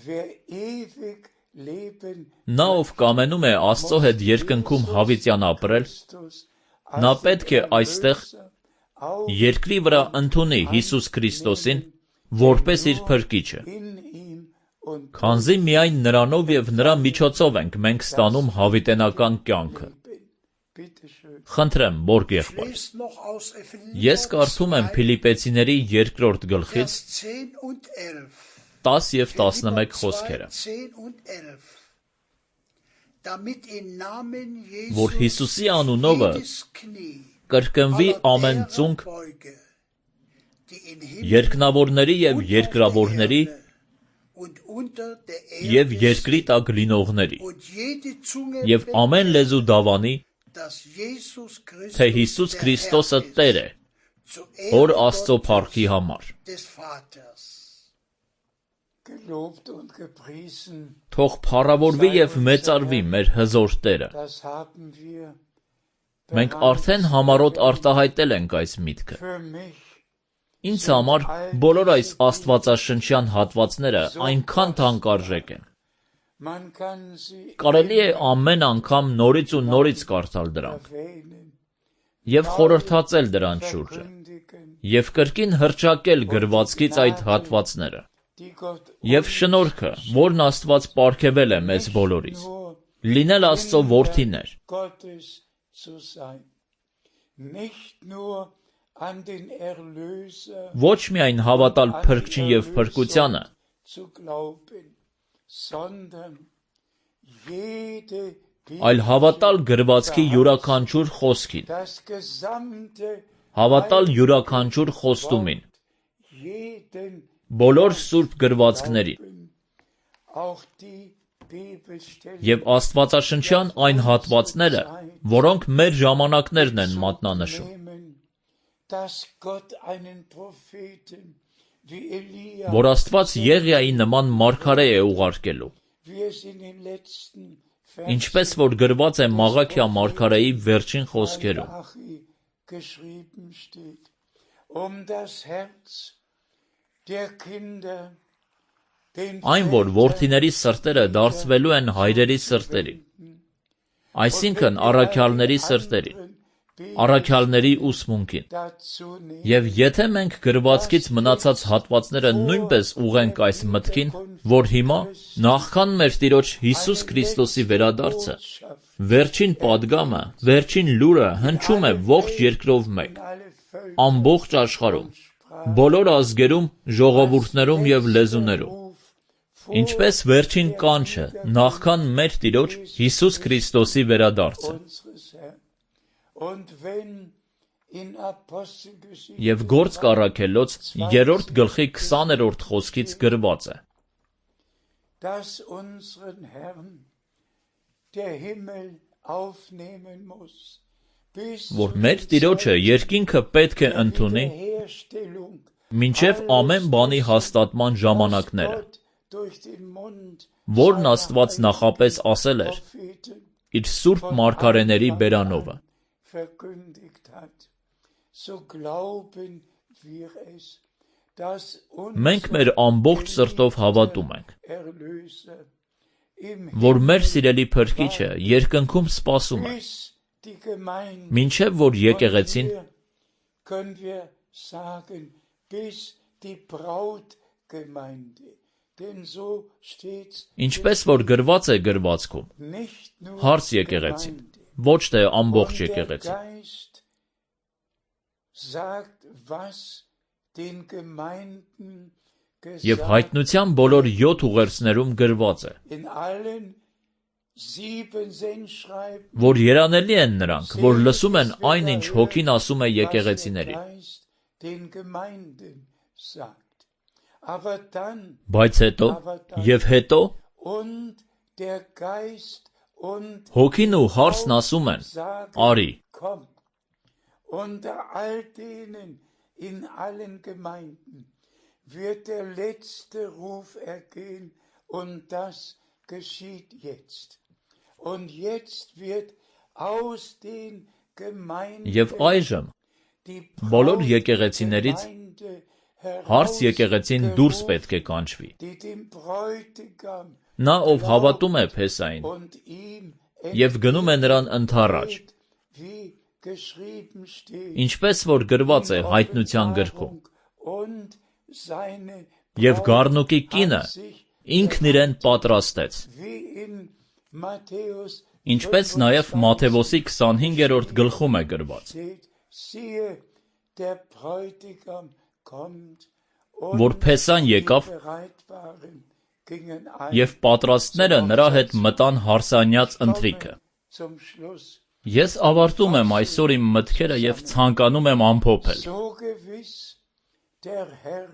Wer ewig Leben Նա ով կամենում է Աստծո հետ երկնքում հավիտյան ապրել, Christus նա als պետք է այստեղ auf երկրի վրա ընդունի Հիսուս Քրիստոսին որպես իր փրկիչը, in ihm und քանզի միայն նրանով եւ նրա միջոցով ենք մենք ստանում հավիտենական կյանքը։ Leben. Bitte schön. Խնդրեմ, Բորգ եղբայր, Lest noch aus ես Epheser կարդում եմ Փիլիպեցիների երկրորդ գլխից Vers zehn und elf. տաս եւ տասնմեկ խոսքերը, zehn und elf. Damit im Namen որ Jesus Հիսուսի անունովը jedes Knie կրկնվի ամեն aller ծունկ beuge, die in Himmel երկնավորների եւ und auf երկրավորների der Erde und unter der եւ Erde երկրի տակ լինողների und jede Zunge եւ ամեն լեզու դավանի, dass Jesus Christus թե Հիսուս der Քրիստոսը Herr Տեր է, ist, zur Հոր Ehre Աստծո Gottes փառքի համար։ des Vaters. Gelobt und gepriesen, Թող փառավորվի եւ մեծարվի մեր հզոր Տերը, das haben wir Մենք արդեն համառոտ արտահայտել ենք այս միտքը։ Für mich Ինձ համար բոլոր այս աստվածաշնչյան հատվածները այնքան թանկարժեք են։ man kann sie Կարելի է ամեն անգամ նորից ու նորից կարդալ դրանք erwähnen, եւ խորհրդածել դրանց շուրջը verkündigen, եւ կրկին հրճակել գրվածքից այդ հատվածները die Gott եւ շնորհքը, որն Աստված պարգևել է մեզ բոլորիս, nur լինել Աստծո որդիներ, Gottes zu sein. Nicht nur an den Erlöser ոչ միայն հավատալ փրկչին եւ փրկությանը, zu glauben, sondern jede այլ հավատալ գրվածքի յուրաքանչյուր խոսքին, das gesamte հավատալ յուրաքանչյուր խոստումին, jeden բոլոր սուրբ գրվածքներին auch die Bibelstellen եւ Աստվածաշնչյան այն հատվածները, որոնք մեր ժամանակներն են մատնանշում, nehmen, dass Gott einen Propheten wie Elia, որ Աստված Եղիայի նման մարգարե է ուղարկելու, wie es in den letzten ինչպես որ գրված է Մաղաքիա մարգարեի վերջին խոսքերում, Malachi geschrieben steht, um das Herz der Kinder den այն որ որդիների սրտերը դարձվելու են հայրերի սրտերի, այսինքն առաքյալների սրտերի, առաքյալների ուսմունքին, dazu nehmen, եւ եթե մենք գրվածքից մնացած հատվածները նույնպես ուղենք այս մտքին, որ հիմա նախքան մեր Տիրոջ Հիսուս Քրիստոսի վերադարձը, վերջին падգամը, վերջին լուրը հնչում է ողջ երկրով մեկ, alle Völker ամբողջ աշխարհում, բոլոր ազգերում, ժողովուրդներում եւ լեզուներում, ինչպես վերջին կանչը նախքան մեր Տիրոջ Հիսուս Քրիստոսի վերադարձը։ unseres Herrn. Und wenn in Apostelgeschichte Եվ Գործք առաքելոց երրորդ գլխի քսաներորդ խոսքից գրված է. dass unseren Herrn der Himmel aufnehmen muss, bis որ մեր Տիրոջը երկինքը պետք է ընդունի Wiederherstellung մինչև ամեն բանի հաստատման ժամանակները, Gott durch den Mund որն Աստված նախապես ասել էր Propheten իր սուրբ մարգարեների բերանովը։ verkündigt hat, so glauben wir es, dass Մենք unser մեր ամբողջ սրտով հավատում ենք, Erlöser im որ մեր սիրելի Փրկիչը երկնքում սպասում է, bis die Gemeinde, մինչև որ եկեղեցին, hier können wir sagen, bis die Brautgemeinde, denn so steht's ինչպես որ գրված է գրվածքում, nicht nur հարց եկեղեցին, Gemeinde. ոչ թե ամբողջ Und der եկեղեցին։ Geist sagt, was den Gemeinden Եվ gesagt հայտնության բոլոր յոթ ուղերձներում գրված է, in allen sieben Sendschreiben, որ երանելի են նրանք, որ լսում են այն, ինչ Հոգին ասում է was der եկեղեցիների, Geist den Gemeinden sagt. Aber dann բայց հետո եւ հետո und der Geist und Հոգին ու հարցն ասում են. sagen, Արի, komm. Unter all denen in allen Gemeinden wird der letzte Ruf ergehen und das geschieht jetzt. Und jetzt wird aus den Gemeinden եւ այժմ die բոլոր եկեղեցիներից Brautgemeinde հարց եկեղեցին դուրս պետք է կանչվի։ die dem Bräutigam Նա ով հավատում է Փեսային und ihm եւ գնում է նրան ընթառաջ, entgeht, wie geschrieben steht, ինչպես որ գրված է հայտնության գրքում, und seine եւ Գառնուկի կինը an sich, ինքն իրեն պատրաստեց, wie in Matthäus ինչպես նաեւ Մատթեոսի քսանհինգերորդ գլխում է գրված, steht, siehe, der Bräutigam kommt, որ Փեսան die եկավ bereit waren, gingen ein եւ պատրաստները նրա հետ մտան հարսանյաց ընթրիքը։ zum Schluss. Ես ավարտում եմ այսօր իմ մտքերը եւ ցանկանում եմ ամփոփել, So gewiss der Herr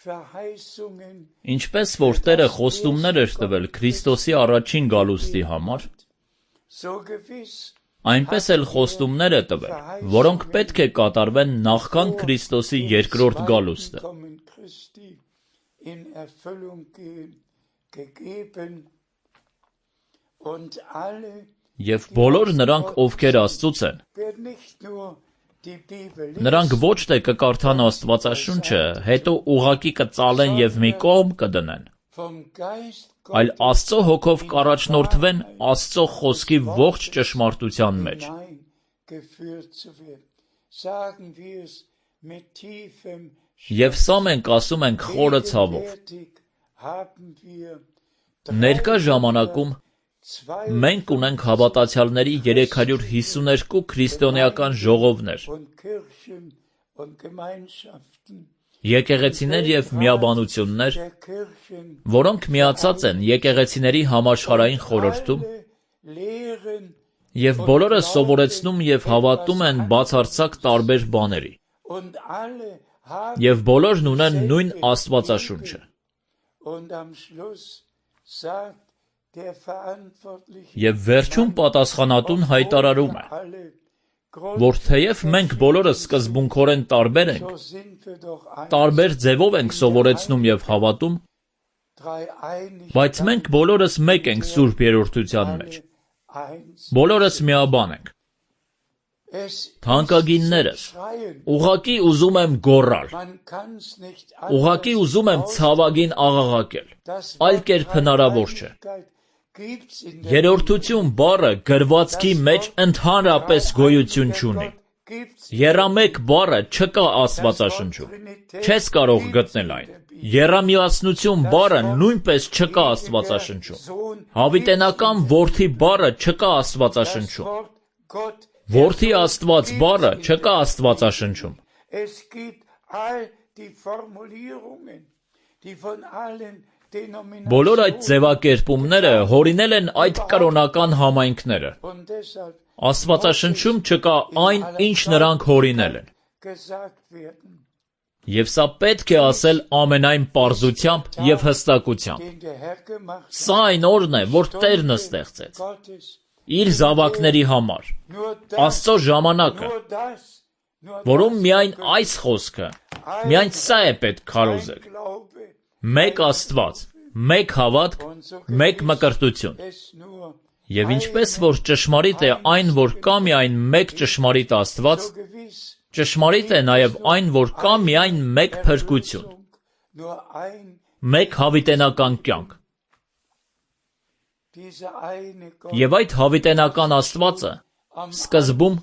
Verheißungen ինչպես որ Տերը խոստումներ էր տվել Քրիստոսի առաջին գալուստի համար, so gewiss այնպես էլ խոստումներ է տվել, որոնք պետք է կատարվեն նախքան Քրիստոսի երկրորդ գալուստը։ Kommen Christi in Erfüllung gehen, gegeben und alle Եվ բոլոր նրանք, ովքեր Աստծուց են, նրանք ոչ թե կկարդան Աստվածաշունչը, հետո ուղղակի կծալեն և մի կողմ կդնեն, այլ Աստծո հոգով կառաջնորդվեն Աստծո խոսքի ողջ ճշմարտության մեջ։ Եվ սա մենք ասում ենք խորը ցավով։ Ներկա ժամանակում մենք ունենք հավատացյալների երեք հարյուր հիսուներկու քրիստոնեական ժողովներ, եկեղեցիներ և միաբանություններ, որոնք միացած են եկեղեցիների համաշխարհային խորհրդում և բոլորը սովորեցնում և հավատում են բացարձակ տարբեր բաների, և բոլորն ունեն նույն Աստվածաշունչը։ Եվ վերջում պատասխանատուն հայտարարում է, որ թեև մենք բոլորս սկզբունքորեն տարբեր ենք, տարբեր ձևով ենք սովորեցնում և հավատում, բայց մենք բոլորս մեկ ենք Սուրբ Երրորդության մեջ, բոլորս միաբան ենք։ Թանկագիններս, ուղղակի ուզում եմ գոռալ, ուղղակի ուզում եմ ցավագին աղաղակել, այլ կերպ հնարավոր չէ։ Երրորդություն բառը գրվածքի մեջ ընդհանրապես գոյություն չունի։ Եռամեկ բառը չկա Աստվածաշնչում, չես կարող գտնել այն։ Եռամիասնություն բառը նույնպես չկա Աստվածաշնչում։ Հավիտենական որդի բառը չկա Աստվածաշնչում։ Որդի Աստված բառը չկա Աստվածաշնչում։ Բոլոր այդ ձևակերպումները հորինել են այդ կրոնական համայնքները։ Աստվածաշնչում չկա այն, ինչ նրանք հորինել են։ Եվ սա պետք է ասել ամենայն պարզությամբ և հստակությամբ։ Սա այն օրն է, որ Տերն ստեղծեց իր զավակների համար, Աստծո ժամանակը, որում միայն այս խոսքը, միայն սա է պետք քարոզել. մեկ Աստված, մեկ հավատք, մեկ մկրտություն։ Եվ ինչպես որ ճշմարիտ է այն, որ կա միայն մեկ ճշմարիտ Աստված, ճշմարիտ է նաև այն, որ կա միայն մեկ փրկություն, մեկ հավիտենական կյանք։ Եվ այդ հավիտենական Աստվածը սկզբում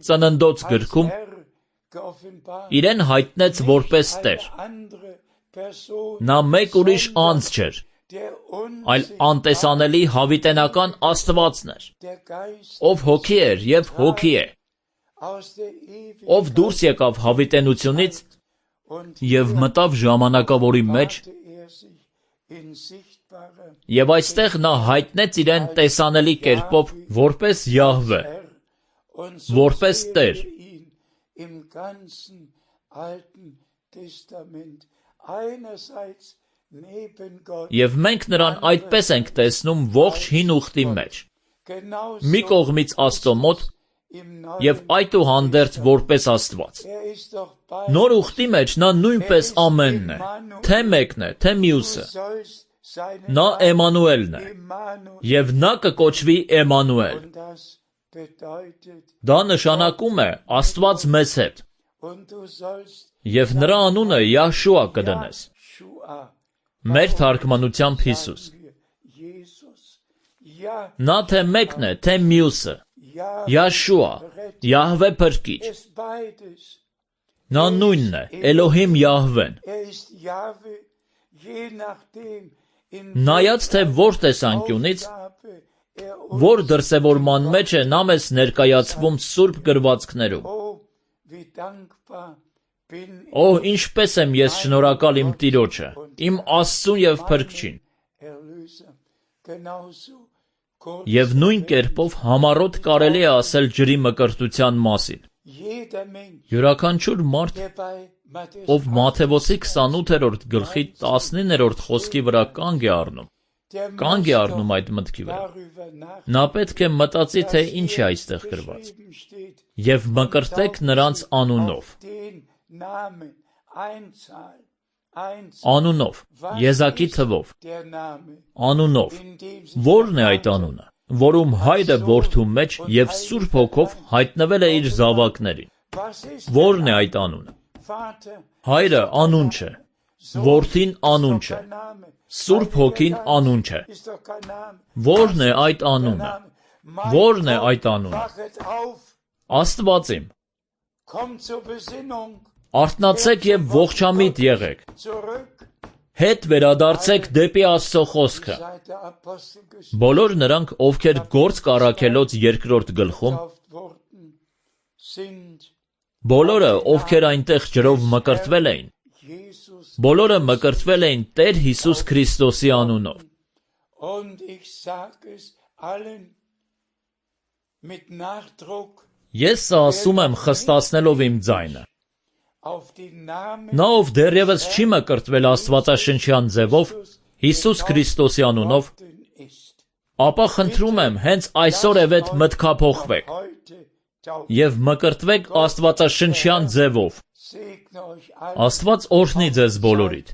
Ծննդոց գրքում իրեն հայտնեց որպես Տեր։ Նա մեկ ուրիշ անձ չէր, այլ անտեսանելի հավիտենական Աստվածն էր, ով հոգի էր և հոգի է, ով դուրս եկավ հավիտենությունից և մտավ ժամանակավորի մեջ, և այստեղ նա հայտնեց իրեն տեսանելի կերպով որպես Յահվե, որպես Տեր։ Եվ մենք նրան այդպես ենք տեսնում ողջ հին ուխտի մեջ, մի կողմից Աստծո մոտ և այդուհանդերձ որպես Աստված։ Նոր ուխտի մեջ նա նույնպես ամենն է, թե մեկն է, թե մյուսը։ Նա Էմանուելն է, և նա կկոչվի Էմանուել։ Դա նշանակում է Աստված մեզ հետ, և նրա անունը Յահշուա կդնես։ Մեր թարգմանությամբ Հիսուս։ Նա թե մեկն է, թե մյուսը, Յահշուա, Յահվե փրկիչ։ Նա նույնն է, Էլոհիմ Յահվեն։ Նայած թե որ տեսանկյունից, որ դրսևորման մեջ է նա մեզ ներկայացվում Սուրբ գրվածքներում։ Օ, ինչպես եմ ես շնորհակալ իմ Տիրոջը, իմ Աստծուն և Փրկչին։ Եվ նույն կերպով համառոտ կարելի է ասել ջրի մկրտության մասին։ Յուրաքանչյուր մարդ, ով Մատթեոսի քսանութերորդ գլխի տասնիններորդ խոսքի վրա կանգ է առնում, կանգ է առնում այդ մտքի վրա, նա պետք է մտածի, թե ինչ է այստեղ գրված։ Եվ մկրտեք նրանց անունով։ Անունով, եզակի թվով, անունով, ո՞րն է այդ անունը, որում հայրը որդու մեջ և Սուրբ Հոգով հայտնվել է իր զավակներին, ո՞րն է այդ անունը, հայրը անուն չէ, որդին անուն չէ, Սուրբ Հոգին անուն չէ, ո՞րն է այդ անունը, ո՞րն է այդ անունը, Աստված իմ, արթնացեք և ողջամիտ եղեք, հետ վերադարձեք դեպի Աստծո խոսքը, բոլոր նրանք, ովքեր Գործք առաքելոց երկրորդ գլխում, բոլորը, ովքեր այնտեղ ջրով մկրտվել էին, բոլորը մկրտվել էին Տեր Հիսուս Քրիստոսի անունով, ես սա ասում եմ խստացնելով իմ ձայնը, նա ով դեռևս չի մկրտվել աստվածաշնչյան ձևով, Հիսուս Քրիստոսի անունով, ապա խնդրում եմ հենց այսօրևեթ մտքափոխվեք և մկրտվեք աստվածաշնչյան ձևով, Աստված օրհնի ձեզ բոլորիդ,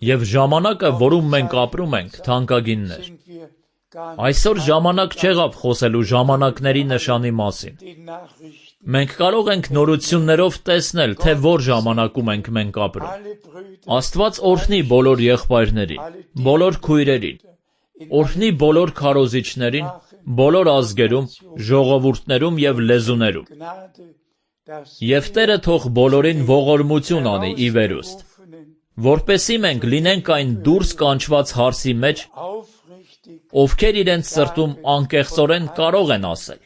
և ժամանակը, որում մենք ապրում ենք, թանկագիններ, այսօր ժամանակ չեղավ խոսելու ժամանակների նշանի մասին, մենք կարող ենք նորություններով տեսնել, թե որ ժամանակում ենք մենք ապրում, Աստված օրհնի բոլոր եղբայրներին, բոլոր քույրերին, օրհնի բոլոր քարոզիչներին, բոլոր ազգերում, ժողովուրդներում և լեզուներում, և Տերը թող բոլորին ողորմություն անի ի վերուստ, որպեսզի մենք լինենք այն դուրս կանչված հարսի մեջ, ովքեր իրենց սրտում անկեղծորեն կարող են ասել,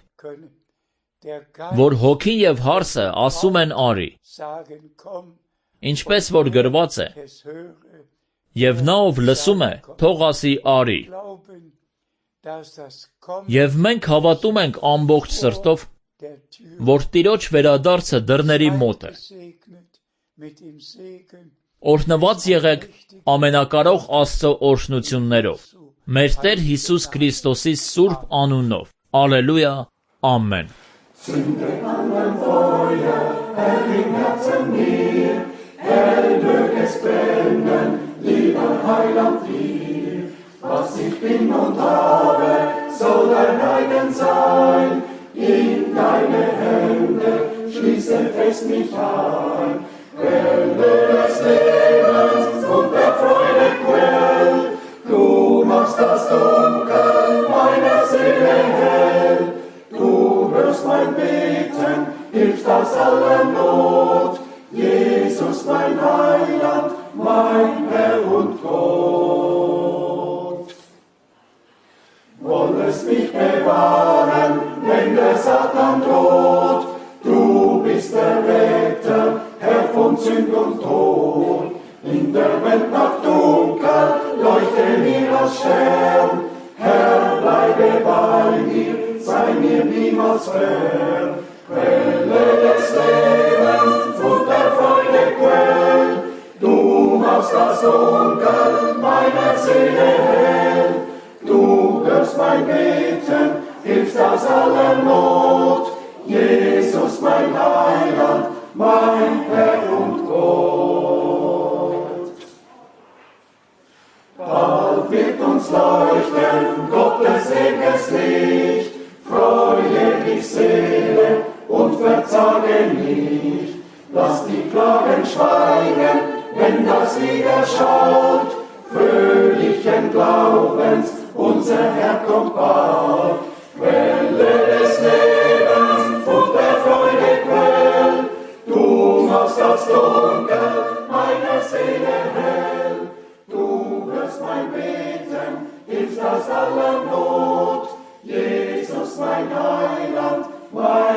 որ հոգին և հարսը ասում են արի, ինչպես որ գրված է, և նա ով լսում է, թող ասի արի, և մենք հավատում ենք ամբողջ սրտով, որ Տիրոջ վերադարձը դռների մոտ է, օրհնված եղեք ամենակարող Աստծո օրհնություններով, մեր Տեր Հիսուս Քրիստոսի սուրբ անունով, Ալելույա, ամեն. Zündet an ein Feuer, Herr, im Herzen mir, Herr, mög es brennen, lieber Heiland dir. Was ich bin und habe, soll dein eigen sein, in deine Hände schließe fest mich ein. Quelle des Lebens und der Freude Quell, du machst das Dunkel meiner Seele hell. Du hörst mein Beten, hilfst aus aller Not. Jesus, mein Heiland, mein Herr und Gott. Wollest mich bewahren, wenn der Satan droht. Du bist der Retter, Herr von Sünd und Tod. In der Welt Nacht dunkel, leuchte mir als Stern. Herr, bleibe bei mir, sei mir niemals fern. Quelle des Lebens und der Freude Quell, du machst das Dunkel meiner Seele hell. Du hörst mein Beten, hilfst aus aller Not. Jesus, mein Heiland, mein Herr und Gott. Bald wird uns leuchten Gottes ewiges Licht. Freue dich, Seele, und verzage nicht. Lass die Klagen schweigen, wenn das Lied erschallt. Fröhlichen Glaubens, unser Herr kommt bald. Quelle des Lebens und der Freude Quell, du machst das Dunkel meiner Seele hell. Du hörst mein Beten, hilfst aus aller Not. Jesus, mein Heiland, mein